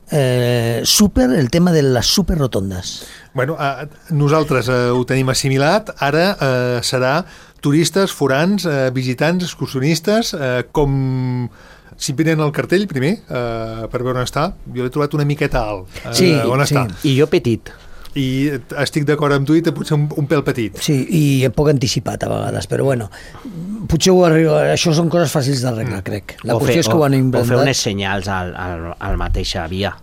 eh, super el tema de les superrotondes. Bueno, eh, nosaltres eh, ho tenim assimilat, ara eh, serà turistes, forans, eh, visitants, excursionistes, eh, com simplement el cartell, primer, eh, per veure on està. Jo l'he trobat una miqueta alt. Eh, Sí, on sí. està? I jo petit. I estic d'acord amb tu i potser un, un pèl petit. Sí, i un poc anticipat a vegades, però bueno, potser ho arriba, això són coses fàcils d'arreglar, crec. La o qüestió fer, és que ho han o, o inventat. fer unes senyals al, al, al mateixa via.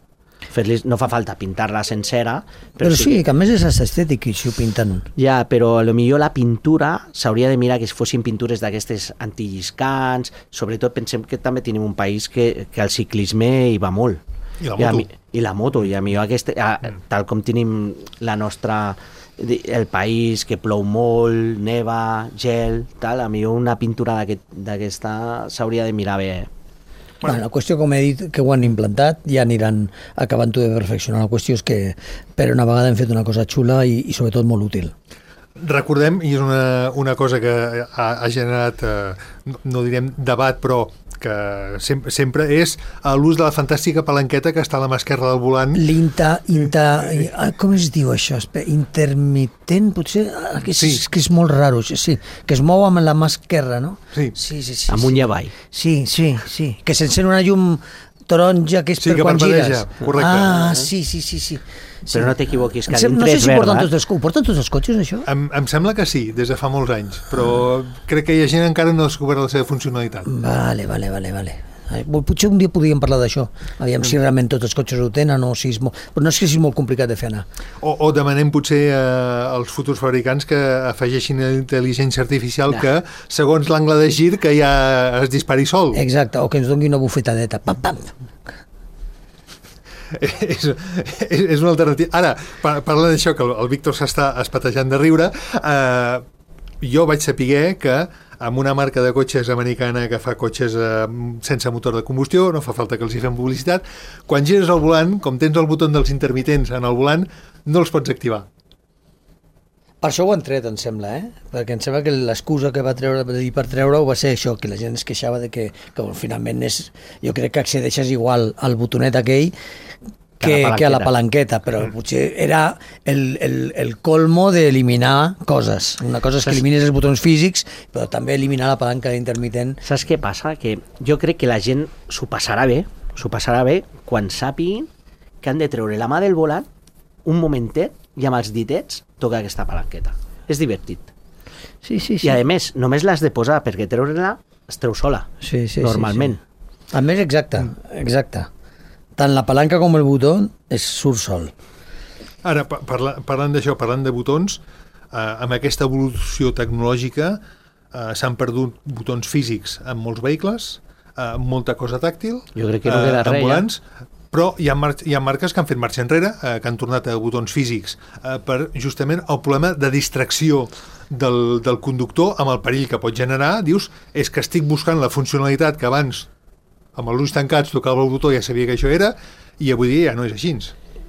Fer-li, no fa falta pintar-la sencera, Però sí, que a més és estètic i si ho pinten. Ja, però a lo millor la pintura s'hauria de mirar que fossin pintures d'aquestes antilliscants, sobretot pensem que també tenim un país que, que el ciclisme hi va molt. I la I, a, moto. mi- i la moto, i a millor aquest, a, tal com tenim la nostra el país que plou molt, neva, gel, tal, a millor una pintura d'aquest- d'aquesta s'hauria de mirar bé. Bueno, la qüestió, com he dit, que ho han implantat, ja aniran acabant-ho de perfeccionar. La qüestió és que per una vegada hem fet una cosa xula i, i sobretot molt útil. Recordem, i és una, una cosa que ha, ha generat, eh, no, no direm debat, però que sempre, sempre és l'ús de la fantàstica palanqueta que està a la mà esquerra del volant. L'inta... Inta, ah, com es diu això? Espera, intermitent, potser? Ah, que és, Sí. que és molt raro, sí. Que es mou amb la mà esquerra, no? Sí. Sí, sí, sí. Amunt sí. i avall. Sí, sí, sí. Que s'encén una llum taronja que és Sí, per que quan parpadeja, gires. correcte. Ah, sí, sí, sí, sí. Sí. Però no t'equivoquis, que Em sem- dintre no sé és si verda. porten tots els, ho porten tots els cotxes, això? Em, em sembla que sí, des de fa molts anys, però crec que hi ha gent encara no ha descobert la seva funcionalitat. Vale, vale, vale, vale. Ai, potser un dia podríem parlar d'això. Aviam si realment tots els cotxes ho tenen o si és molt... Però no és que sigui molt complicat de fer anar. O, o demanem potser eh, als futurs fabricants que afegeixin la intel·ligència artificial Ja. que, segons l'angle de gir, que ja es dispari sol. Exacte, o que ens doni una bufetadeta. Pam, pam. és, és, és una alternativa. Ara, par parlant d'això, que el, el Víctor s'està espatejant de riure, eh, jo vaig saber que amb una marca de cotxes americana que fa cotxes eh, sense motor de combustió, no fa falta que els hi fem publicitat, quan gires el volant, com tens el botó dels intermitents en el volant, no els pots activar. Per això ho han tret, em sembla, eh? Perquè em sembla que l'excusa que va treure i per treure-ho va ser això, que la gent es queixava de que, que bueno, finalment és... Jo crec que accedeixes igual al botonet aquell que, Que a la que a la palanqueta. palanqueta, però potser era el, el, el colmo d'eliminar coses. Una cosa és que elimines els botons físics, però també eliminar la palanca d'intermitent. Saps què passa? Que jo crec que la gent s'ho passarà bé, s'ho passarà bé quan sàpiguin que han de treure la mà del volant un momentet i amb els ditets tocar aquesta palanqueta. És divertit. Sí, sí, I a més, només l'has de posar perquè treure-la es treu sola, sí, sí, normalment. Sí, sí. A més, exacte, exacte. Tant la palanca com el botó es surt sol. Ara, pa parla parlant d'això, parlant de botons, eh, amb aquesta evolució tecnològica eh, s'han perdut botons físics en molts vehicles, eh, molta cosa tàctil, Jo crec que no queda en res, ja. volants, però hi ha, mar hi ha marques que han fet marxa enrere, eh, que han tornat a botons físics eh, per justament el problema de distracció del, del conductor amb el perill que pot generar. Dius, és que estic buscant la funcionalitat que abans amb els ulls tancats tocava el botó, ja sabia que això era, i avui dia ja no és així.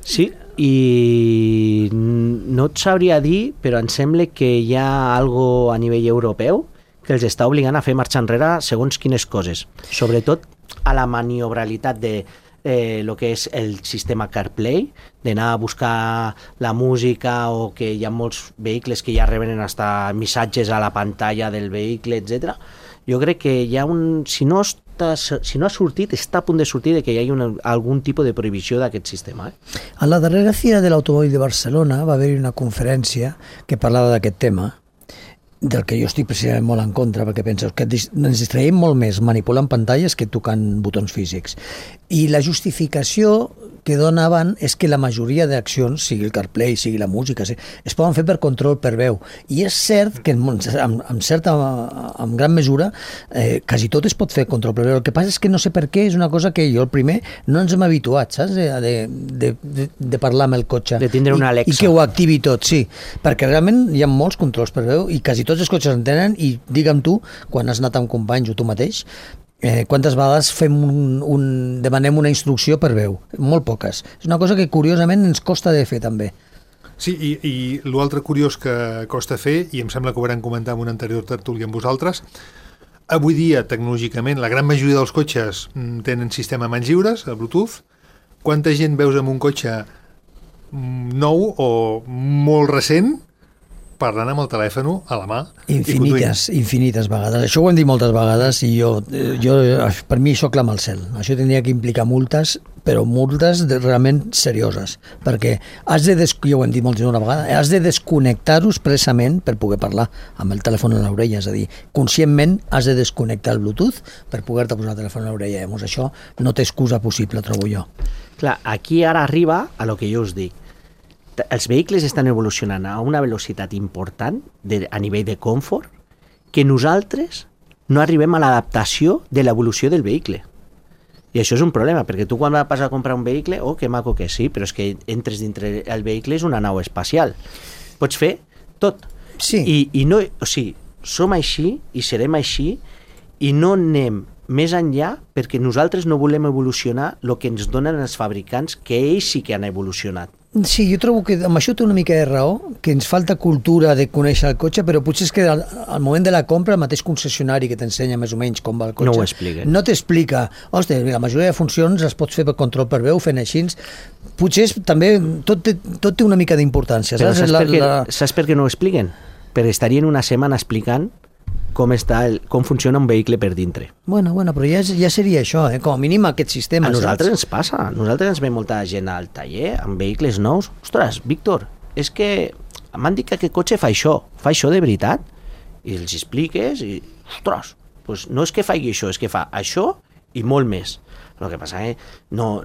Sí, i no et sabria dir, però em sembla que hi ha algo a nivell europeu que els està obligant a fer marxa enrere segons quines coses. Sobretot a la maniobralitat de eh, lo que és el sistema CarPlay, d'anar a buscar la música, o que hi ha molts vehicles que ja reben hasta missatges a la pantalla del vehicle, etcètera. Jo crec que hi ha un... Si no, està, si no ha sortit, està a punt de sortir de que hi hagi una, algun tipus de prohibició d'aquest sistema. Eh? A la darrera Fira de l'Automòbil de Barcelona va haver-hi una conferència que parlava d'aquest tema, del que jo estic precisament molt en contra, perquè penso que ens distraiem molt més manipulant pantalles que tocant botons físics. I la justificació que donaven és que la majoria d'accions, sigui el CarPlay, sigui la música, es poden fer per control per veu. I és cert que en, en, en certa, en gran mesura, eh, quasi tot es pot fer control per veu. El que passa és que no sé per què, és una cosa que jo, el primer, no ens hem habituat, saps? De, de, de, de parlar amb el cotxe. De tindre una Alexa. I, I que ho activi tot, sí. Perquè realment hi ha molts controls per veu i quasi tots els cotxes en tenen, i digue'm tu, quan has anat amb companys o tu mateix, Eh, quantes vegades fem un, un, demanem una instrucció per veu? Molt poques. És una cosa que curiosament ens costa de fer també. Sí, i, i l'altre curiós que costa fer, i em sembla que ho vam comentar en un anterior tertúlia amb vosaltres, avui dia, tecnològicament, la gran majoria dels cotxes tenen sistema mans lliures, a Bluetooth. Quanta gent veus amb un cotxe nou o molt recent parlant amb el telèfon a la mà. Infinites, infinites vegades. Això ho hem dit moltes vegades i jo, jo, per mi això clama al cel. Això tindria que implicar multes, però multes de, realment serioses, perquè has de, des, jo ho hem dit moltes una vegada, has de desconnectar-ho expressament per poder parlar amb el telèfon a l'orella, és a dir, conscientment has de desconnectar el Bluetooth per poder-te posar el telèfon a l'orella. Llavors això no té excusa possible, trobo jo. Clar, aquí ara arriba a lo que jo us dic. Els vehicles estan evolucionant a una velocitat important de, a nivell de confort que nosaltres no arribem a l'adaptació de l'evolució del vehicle. I això és un problema, perquè tu quan vas a comprar un vehicle, oh, que maco que sí, però és que entres dintre el vehicle és una nau espacial. Pots fer tot. Sí. I, i no, o sigui, som així i serem així i no anem més enllà perquè nosaltres no volem evolucionar el que ens donen els fabricants, que ells sí que han evolucionat. Sí, jo trobo que amb això té una mica de raó, que ens falta cultura de conèixer el cotxe, però potser és que al, al moment de la compra el mateix concessionari que t'ensenya més o menys com va el cotxe no ho explica. No t'explica. Ostres, la majoria de funcions es pots fer per control per veu, fent així. Potser és, també tot té, tot té una mica d'importància. Però saps, saps, la, per què, la... saps per què no ho expliquen? Perquè estarien una setmana explicant com, està el, com funciona un vehicle per dintre. Bueno, bueno, però ja, ja seria això, eh? Com a mínim aquest sistema. A nosaltres saps? ens passa, a nosaltres ens ve molta gent al taller amb vehicles nous. Ostres, Víctor, és que m'han dit que aquest cotxe fa això, fa això de veritat? I els expliques i, ostres, pues no és que faci això, és que fa això i molt més. El que passa és que no,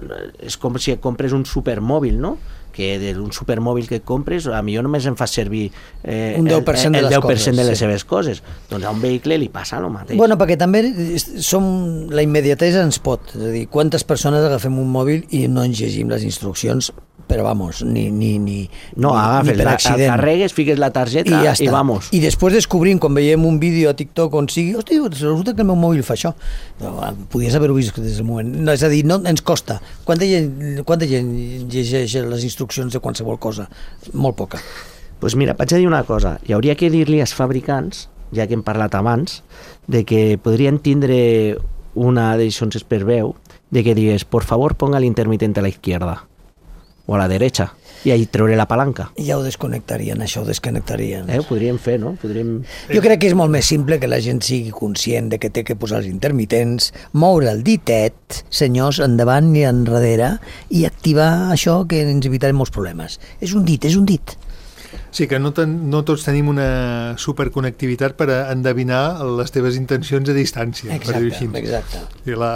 és com si et compres un supermòbil, no? Que d'un supermòbil que et compres, a millor només en fas servir eh, un deu per cent el, el de les deu per cent coses, de les sí. seves coses. Doncs a un vehicle li passa el mateix. Bueno, perquè també som, la immediatesa ens pot. És a dir, quantes persones agafem un mòbil i no ens llegim les instruccions, però vamos, ni, ni, ni, no, ni, agafes, ni per accident. La carregues, fiques la targeta i, ja i vamos. I després descobrim, quan veiem un vídeo a TikTok on sigui, hosti, resulta que el meu mòbil fa això. No, podies haver-ho vist des del moment. No, és a dir, no ens costa. Quanta gent, quanta gent llegeix les instruccions de qualsevol cosa? Molt poca. Doncs pues mira, vaig a dir una cosa. Hi hauria que dir-li als fabricants, ja que hem parlat abans, de que podrien tindre una d'edició per veu, de que digues, por favor, ponga l'intermitente a la izquierda o a la derecha, i ahí treure la palanca. Ja ho desconnectarien, això ho desconnectarien. Eh, ho podríem fer, no? Podríem... Jo crec que és molt més simple que la gent sigui conscient de que té que posar els intermitents, moure el ditet, senyors, endavant i enrere, i activar això que ens evitarem molts problemes. És un dit, és un dit. Sí, que no, ten, no tots tenim una superconnectivitat per a endevinar les teves intencions a distància. Exacte, exacte. I la,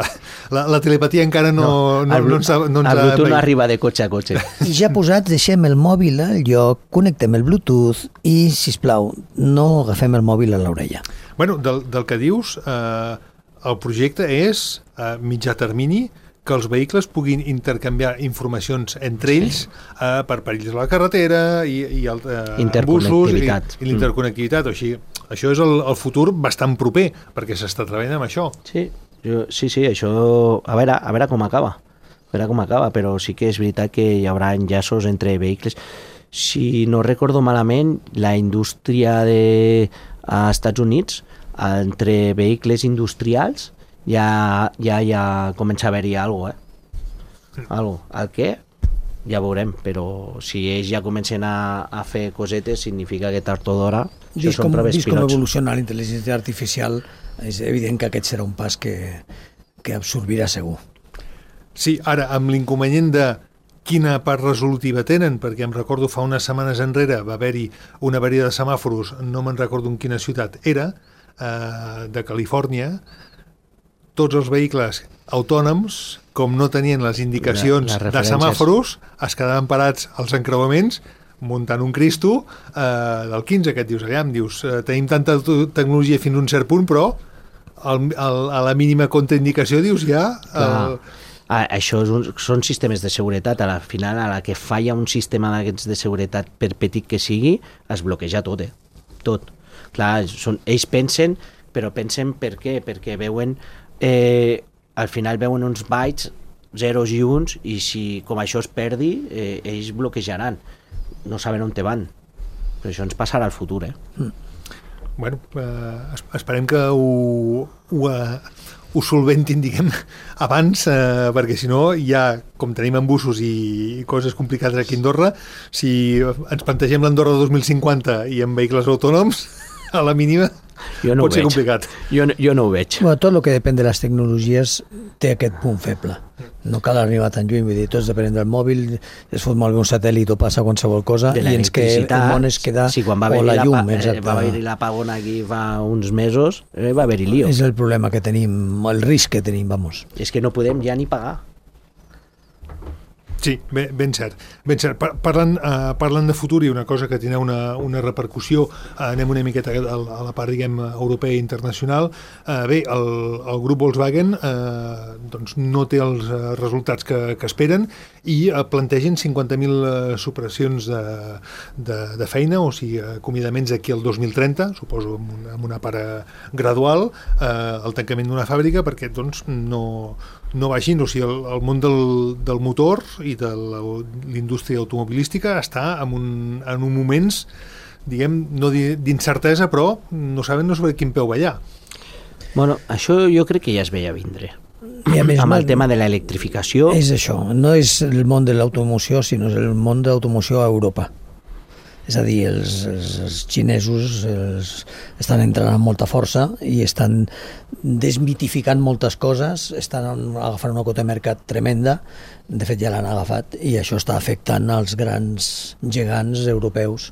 la, la telepatia encara no, no, no, el, no ens ha... No ens el Bluetooth ha... no arriba de cotxe a cotxe. I ja posats, deixem el mòbil al lloc, connectem el Bluetooth i, sisplau, no agafem el mòbil a l'orella. Bueno, del, del que dius, eh, el projecte és a mitjà termini que els vehicles puguin intercanviar informacions entre ells eh, per perills a la carretera i, i el, eh, busos i, i l'interconnectivitat. Mm. Així, això és el, el futur bastant proper, perquè s'està treballant amb això. Sí, jo, sí, sí, això... A veure, a veure com acaba. A veure com acaba, però sí que és veritat que hi haurà enllaços entre vehicles. Si no recordo malament, la indústria de als Estats Units, entre vehicles industrials, ja, ja, ja comença a haver-hi alguna cosa, eh? Algo. El què? Ja veurem, però si ells ja comencen a, a fer cosetes, significa que tard o d'hora això són proves pilots. Vist com evoluciona la intel·ligència artificial, és evident que aquest serà un pas que, que absorbirà segur. Sí, ara, amb l'inconvenient de quina part resolutiva tenen, perquè em recordo fa unes setmanes enrere va haver-hi una avaria de semàforos, no me'n recordo en quina ciutat era, eh, de Califòrnia. Tots els vehicles autònoms, com no tenien les indicacions la, de semàforos, es quedaven parats als encreuaments muntant un Cristo eh, del quinze, que et dius allà, em dius, eh, tenim tanta tecnologia fins a un cert punt, però el, el, a la mínima contraindicació dius ja... El... Ah, això és un, són sistemes de seguretat. A la final, a la que falla un sistema d'aquests de seguretat, per petit que sigui, es bloqueja tot, eh? Tot. Clar, són, ells pensen, però pensen per què? Perquè veuen... Eh, al final veuen uns bytes, zeros i uns, i si com això es perdi, eh, ells bloquejaran. No saben on te van. Però això ens passarà al futur, eh? Mm. Bueno, eh, esperem que ho, ho, ho solventin, diguem, abans, eh, perquè si no, ja, com tenim embussos i coses complicades aquí a Andorra, si ens plantegem l'Andorra dos mil cinquanta i amb vehicles autònoms, a la mínima, jo no pot ser complicat. Jo, jo no ho veig. Bueno, tot el que depèn de les tecnologies té aquest punt feble. No cal arribar tan lluny, vull dir, tots depenent del mòbil, es fot molt bé un satèl·lit o passa qualsevol cosa i ens que el món es queda sí, quan va o la llum. La, eh, va haver-hi l'apagón aquí fa uns mesos, eh, va haver-hi lío. És el problema que tenim, el risc que tenim, vamos. És que no podem ja ni pagar. Sí, ben, ben cert. Ben cert. Parlant, uh, parlant de futur i una cosa que tindrà una, una repercussió, uh, anem una miqueta a, a la part, diguem, europea i internacional. Uh, bé, el, el grup Volkswagen uh, doncs no té els uh, resultats que, que esperen i uh, plantegen cinquanta mil uh, supressions de, de, de feina, o sigui, acomiadaments aquí al dos mil trenta, suposo amb una, amb una part gradual, uh, el tancament d'una fàbrica, perquè doncs no... no vagin, o sigui, el, el món del, del motor i de l'indústria automobilística està en, un, en un moments, diguem, no d'incertesa, però no saben no sobre quin peu ballar. Bueno, això jo crec que ja es veia vindre. I a més, amb el tema de l'electrificació... És això, no és el món de l'automoció, sinó és el món de l'automoció a Europa. És a dir, els, els, els xinesos els, estan entrant amb molta força i estan desmitificant moltes coses, estan agafant una quota de mercat tremenda, de fet ja l'han agafat, i això està afectant als grans gegants europeus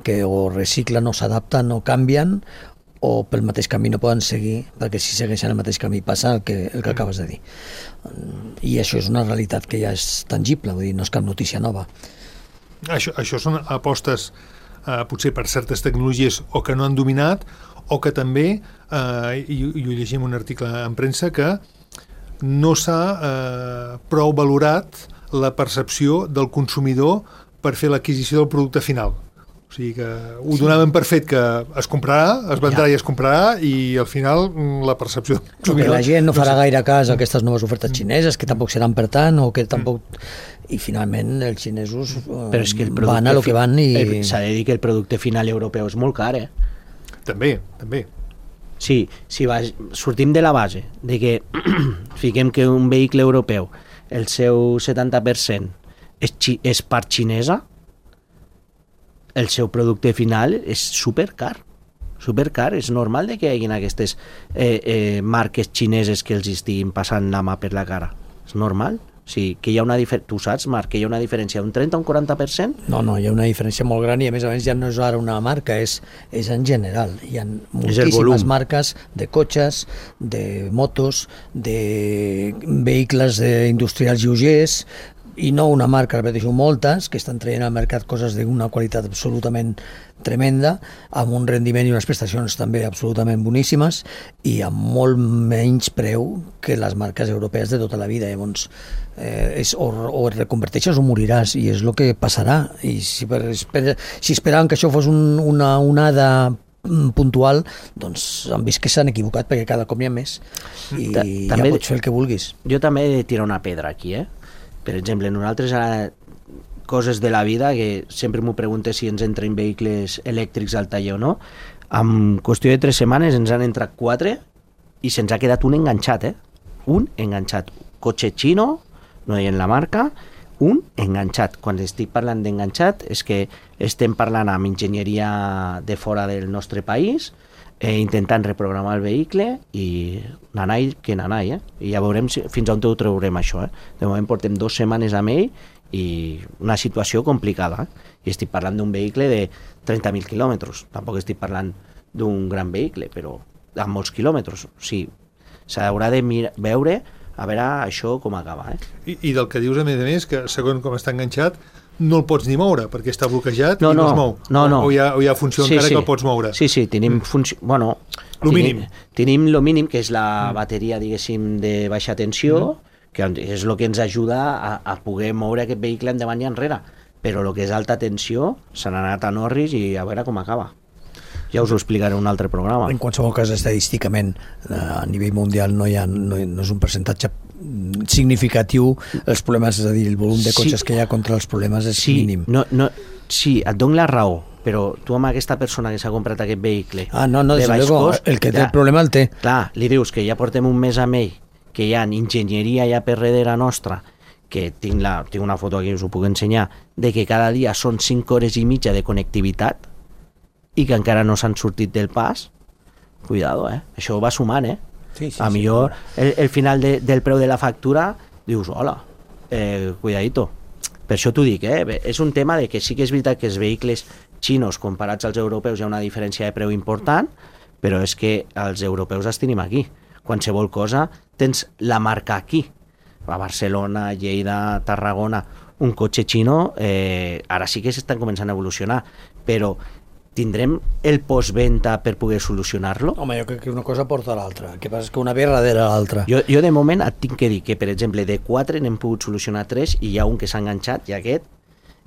que o reciclen o s'adapten o canvien o pel mateix camí no poden seguir, perquè si segueixen el mateix camí passa el que, el que acabes de dir. I això és una realitat que ja és tangible, vull dir, no és cap notícia nova. Això, això són apostes eh, potser per certes tecnologies o que no han dominat o que també, eh, i, i ho llegim un article en premsa, que no s'ha eh, prou valorat la percepció del consumidor per fer l'adquisició del producte final. O sigui que ho donaven per fet que es comprarà, es vendrà ja. i es comprarà, i al final la percepció... Que la gent no farà gaire cas a aquestes noves ofertes xineses, que tampoc seran per tant, o que tampoc... I finalment els xinesos Però és que el van a lo que van i... S'ha de dir que el producte final europeu és molt car, eh? També, també. Sí, si va, sortim de la base de que fiquem que un vehicle europeu, el seu setanta per cent és, xi, és part xinesa, el seu producte final és supercar. Supercar, és normal de que hi hagi aquestes eh, eh, marques xineses que els estiguin passant la mà per la cara. És normal. Sí, que hi ha una diferència, tu saps, Marc, que hi ha una diferència d'un trenta a un quaranta per cent? No, no, hi ha una diferència molt gran i a més a més ja no és ara una marca, és, és en general. Hi ha moltíssimes marques de cotxes, de motos, de vehicles industrials lleugers, i no una marca, repeteixo, moltes, que estan traient al mercat coses d'una qualitat absolutament tremenda, amb un rendiment i unes prestacions també absolutament boníssimes i amb molt menys preu que les marques europees de tota la vida. Llavors, eh, és, o, o et reconverteixes o moriràs, i és el que passarà. I si, per, esper, si esperaven que això fos un, una onada puntual, doncs han vist que s'han equivocat, perquè cada cop n'hi ha més i Ta ja també, pots fer el que vulguis. Jo també he de tirar una pedra aquí, eh? Per exemple, nosaltres ara, coses de la vida, que sempre m'ho preguntes si ens entren vehicles elèctrics al taller o no, en qüestió de tres setmanes ens han entrat quatre i se'ns ha quedat un enganxat, eh? Un enganxat. Cotxe xino, no deien la marca, un enganxat. Quan estic parlant d'enganxat és que estem parlant amb enginyeria de fora del nostre país, eh, intentant reprogramar el vehicle i nanai que nanai, eh? I ja veurem si, fins on ho traurem això, eh? De moment portem dues setmanes amb ell i una situació complicada, eh? I estic parlant d'un vehicle de trenta mil quilòmetres, tampoc estic parlant d'un gran vehicle, però amb molts quilòmetres. O sigui, s'haurà de mirar, veure a veure això com acaba, eh? I, I del que dius a més a més, que segons com està enganxat no el pots ni moure, perquè està bloquejat no, i no, no es mou. No, no. O, o, hi ha, o hi ha funció sí, encara sí. que el pots moure. Sí, sí, tenim funció... Bueno, lo tenim, mínim. Tenim lo mínim, que és la bateria, diguéssim, de baixa tensió, mm. que és el que ens ajuda a, a poder moure aquest vehicle endavant i enrere. Però el que és alta tensió se n'ha anat a Norris i a veure com acaba. Ja us ho explicaré en un altre programa. En qualsevol cas, estadísticament, a nivell mundial no, hi ha, no, no és un percentatge significatiu els problemes, és a dir, el volum de cotxes sí. que hi ha contra els problemes és sí, mínim. No, no, sí, et dono la raó, però tu amb aquesta persona que s'ha comprat aquest vehicle ah, no, no, de baix luego, cost, el que té clar, el problema el té. Clar, li dius que ja portem un mes amb ell, que hi ha enginyeria ja per darrere nostra, que tinc, la, tinc una foto aquí, us ho puc ensenyar, de que cada dia són cinc hores i mitja de connectivitat i que encara no s'han sortit del pas, cuidado, eh? Això va sumant, eh? Sí, sí, a sí, millor sí. el, el final de, del preu de la factura dius, hola, eh, cuidadito. Per això t'ho dic, eh? És un tema de que sí que és veritat que els vehicles xinos comparats als europeus hi ha una diferència de preu important, però és que els europeus els tenim aquí. Qualsevol cosa tens la marca aquí. A Barcelona, Lleida, Tarragona, un cotxe xino, eh, ara sí que s'estan començant a evolucionar, però tindrem el postventa per poder solucionar-lo? Home, jo crec que una cosa porta a l'altra. El que passa és que una ve darrere l'altra. Jo, jo de moment et tinc que dir que, per exemple, de quatre n'hem pogut solucionar tres i hi ha un que s'ha enganxat i aquest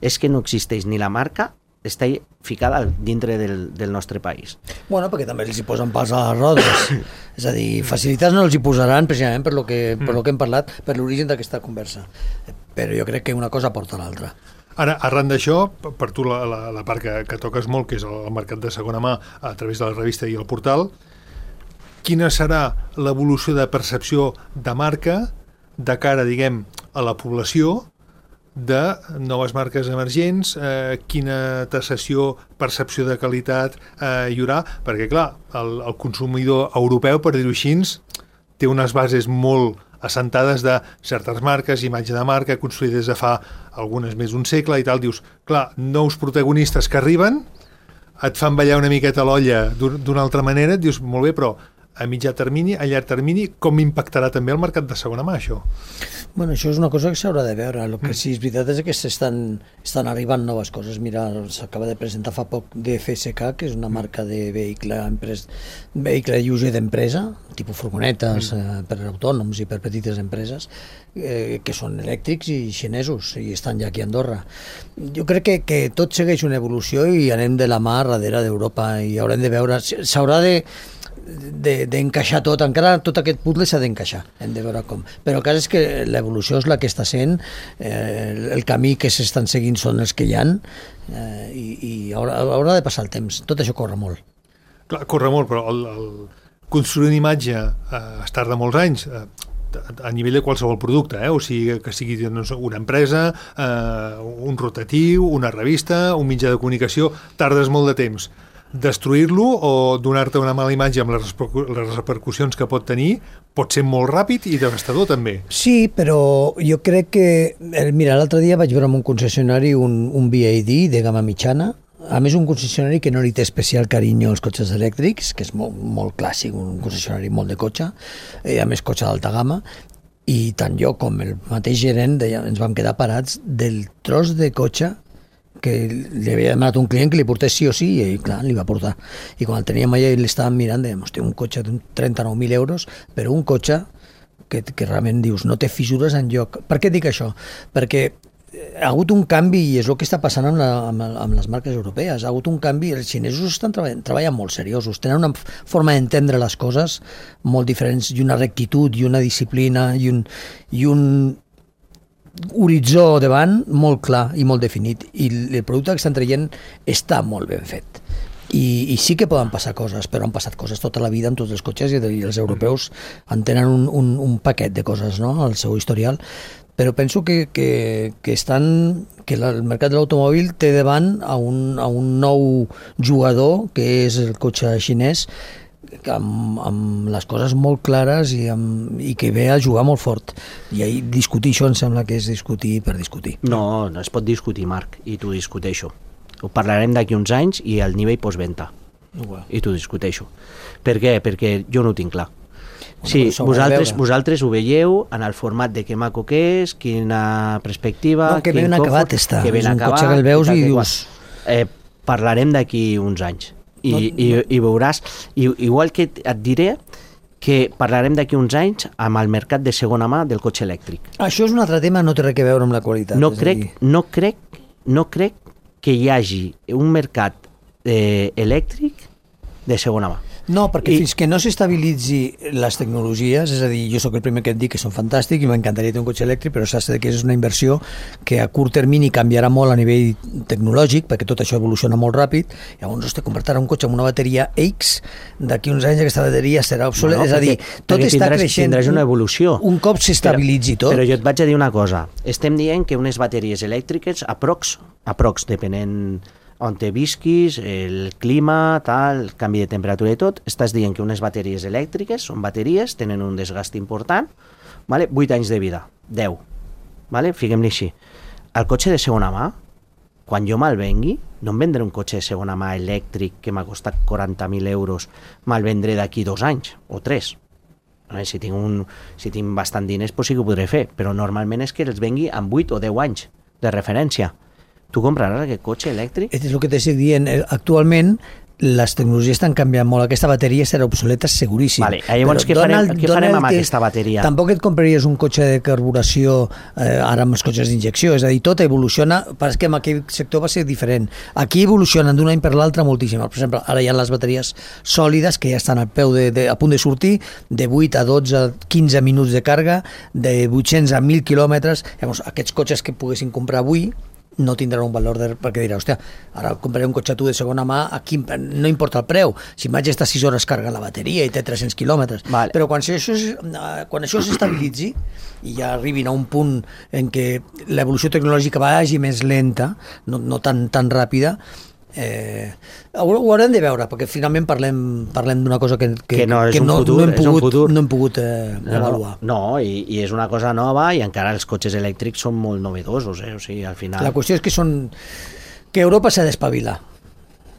és que no existeix ni la marca, està ficada dintre del, del nostre país. Bueno, perquè també els hi posen pals a les rodes. És a dir, facilitats no els hi posaran precisament per lo que, per lo que hem parlat, per l'origen d'aquesta conversa. Però jo crec que una cosa porta a l'altra. Ara, arran d'això, per tu la, la, la part que, que toques molt, que és el mercat de segona mà a través de la revista i el portal, quina serà l'evolució de percepció de marca de cara, diguem, a la població de noves marques emergents, eh, quina taxació, percepció de qualitat eh, hi haurà? Perquè, clar, el, el consumidor europeu, per dir-ho així, té unes bases molt assentades de certes marques, imatge de marca, construïdes de fa algunes més d'un segle i tal. Dius, clar, nous protagonistes que arriben, et fan ballar una miqueta l'olla d'una altra manera, et dius, molt bé, però a mitjà termini, a llarg termini, com impactarà també el mercat de segona mà, això? Bueno, això és una cosa que s'haurà de veure. El que sí és veritat és que s'estan estan arribant noves coses. Mira, s'acaba de presentar fa poc D F S K, que és una marca de vehicle, empres... vehicle lleuger d'empresa, tipus furgonetes mm. eh, per autònoms i per petites empreses, eh, que són elèctrics i xinesos, i estan ja aquí a Andorra. Jo crec que, que tot segueix una evolució i anem de la mà darrere d'Europa i haurem de veure... S'haurà de d'encaixar tot, encara tot aquest puzzle s'ha d'encaixar, hem de veure com, però el cas és que l'evolució és la que està sent, eh, el camí que s'estan seguint són els que hi ha, eh, i, i haurà, haurà de passar el temps, tot això corre molt. Clar, corre molt, però el, el construir una imatge eh, es tarda molts anys, eh, a nivell de qualsevol producte, eh? O sigui, que sigui doncs, una empresa, eh, un rotatiu, una revista, un mitjà de comunicació, tardes molt de temps. Destruir-lo o donar-te una mala imatge amb les repercussions que pot tenir pot ser molt ràpid i devastador també. Sí, però jo crec que... Mira, l'altre dia vaig veure en un concessionari un, un V A D de gamma mitjana, a més un concessionari que no li té especial carinyo als cotxes elèctrics, que és molt, molt clàssic, un concessionari molt de cotxe, i a més cotxe d'alta gamma, i tant jo com el mateix gerent deia, ens vam quedar parats del tros de cotxe que li havia demanat un client que li portés sí o sí, i clar, li va portar. I quan el teníem allà i l'estàvem mirant, dèiem, hòstia, un cotxe d'un trenta-nou mil euros, però un cotxe que, que realment dius, no té fissures enlloc. Per què dic això? Perquè ha hagut un canvi, i és el que està passant amb, la, amb, amb les marques europees, ha hagut un canvi, els xinesos estan treballant, treballant molt seriosos, tenen una forma d'entendre les coses molt diferents, i una rectitud, i una disciplina, i un... I un horitzó davant molt clar i molt definit, i el producte que estan traient està molt ben fet, i, i sí que poden passar coses, però han passat coses tota la vida amb tots els cotxes, i els europeus en tenen un, un, un paquet de coses, no?, al seu historial, però penso que, que, que estan que el mercat de l'automòbil té davant a un, a un nou jugador, que és el cotxe xinès, Amb, amb les coses molt clares i, amb, i que ve a jugar molt fort, i ahir discutir això em sembla que és discutir per discutir. No, no es pot discutir, Marc, i t'ho discuteixo. Ho parlarem d'aquí uns anys i al nivell postventa, Well. i t'ho discuteixo. Per què? Perquè jo no ho tinc clar. Bueno, Sí, vosaltres, veure. vosaltres ho veieu en el format de que maco que és, quina perspectiva... No, que quin ben confort, acabat està. Que ben És un acabat, cotxe que el veus tal, i que dius... qual. Eh, parlarem d'aquí uns anys. I, No, no, i, i veuràs, i, igual que et diré que parlarem d'aquí uns anys amb el mercat de segona mà del cotxe elèctric. Això és un altre tema, no té res a veure amb la qualitat. No és a crec, dir, no crec, no crec que hi hagi un mercat eh, elèctric de segona mà. No, perquè I... fins que no s'estabilitzi les tecnologies, és a dir, jo sóc el primer que et dic que són fantàstics i m'encantaria tenir un cotxe elèctric, però saps que és una inversió que a curt termini canviarà molt a nivell tecnològic, perquè tot això evoluciona molt ràpid. Llavors, hosti, comprar un cotxe amb una bateria X, d'aquí uns anys aquesta bateria serà obsoleta. No, és a dir, tot està tindràs, creixent. Tindràs una evolució. Un cop s'estabilitzi tot. Però jo et vaig a dir una cosa. Estem dient que unes bateries elèctriques, aprox, aprox depenent on te visquis, el clima, tal, canvi de temperatura i tot, estàs dient que unes bateries elèctriques són bateries, tenen un desgast important, vale? vuit anys de vida, deu, vale? Fiquem-li així. El cotxe de segona mà, quan jo me'l vengui, no em vendré un cotxe de segona mà elèctric que m'ha costat quaranta mil euros, me'l vendré d'aquí dos anys o tres. A veure, si tinc, un, si tinc bastant diners, pues sí que ho podré fer, però normalment és que els vengui amb vuit o deu anys de referència. Tu compraràs aquest cotxe elèctric? És el que t'estic dient. Actualment, les tecnologies estan canviant molt. Aquesta bateria serà obsoleta seguríssim. Vale, llavors què farem, què farem amb aquesta bateria? Tampoc et compraries un cotxe de carburació eh, ara amb els cotxes d'injecció. És a dir, tot evoluciona, però que en aquell sector va ser diferent. Aquí evolucionen d'un any per l'altre moltíssim. Per exemple, ara hi ha les bateries sòlides que ja estan al peu de, de, a punt de sortir, de vuit a dotze, quinze minuts de càrrega, de vuit-cents a mil quilòmetres. Llavors, aquests cotxes que poguessin comprar avui no tindran un valor de, perquè dirà, hòstia, ara compraré un cotxe tu de segona mà, aquí no importa el preu, si vaig estar sis hores carregant la bateria i té tres-cents quilòmetres, vale. Però quan això, quan això s'estabilitzi i ja arribin a un punt en què l'evolució tecnològica vagi més lenta, no, no tan, tan ràpida, Eh, ho, ho haurem de veure, perquè finalment parlem, parlem d'una cosa que, que, que no, és que un no, futur, no hem pogut, és un futur. No hem pogut eh, avaluar. No, no i, i és una cosa nova i encara els cotxes elèctrics són molt novedosos, eh? O sigui, al final... La qüestió és que són que Europa s'ha d'espavilar.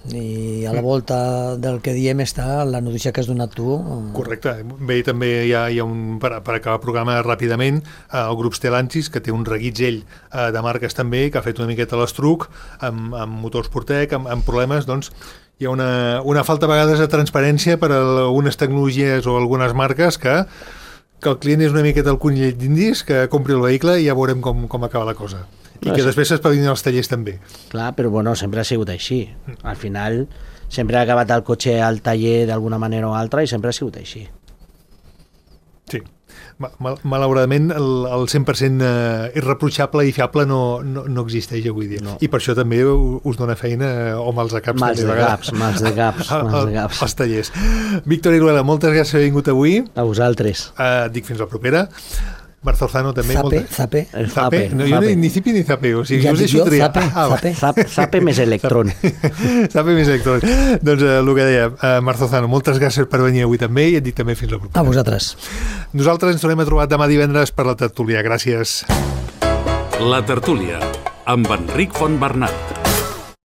I a la volta del que diem està la notícia que has donat tu. Correcte. Bé, també hi ha, hi ha un, per, per acabar el programa ràpidament, eh, el grup Stellantis, que té un reguitzell eh, de marques també, que ha fet una miqueta l'estruc amb, amb motors Portec, amb, amb problemes, doncs hi ha una, una falta a vegades de transparència per a algunes tecnologies o algunes marques que, que el client és una miqueta el conill d'indis, que compri el vehicle i ja veurem com, com acaba la cosa. I que després s'espavilin els tallers també. Clar, però bueno, sempre ha sigut així. Al final, sempre ha acabat el cotxe al taller d'alguna manera o altra i sempre ha sigut així. Sí. Mal, malauradament, el, el cent per cent irreprotxable i fiable no, no, no existeix avui dia. No. I per això també us dona feina, o mals de caps. Mals de caps, mals de caps, mals de caps. Els tallers. Víctor Iruela, moltes gràcies per haver vingut avui. A vosaltres. Uh, dic fins la propera. Marzolzano també. Zape, molta... zape. El zape. No, jo zape. ni cipi ni zape. O sigui, ja us dic jo, triar. zape, ah, zape. Zape, zape més electrón. Zape més electrón. Doncs uh, el que deia, uh, Marzolzano, moltes gràcies per venir avui també i et dic també fins la propera. A vosaltres. Nosaltres ens tornem a trobar demà divendres per la tertúlia. Gràcies. La tertúlia, amb Enric Fontbernat.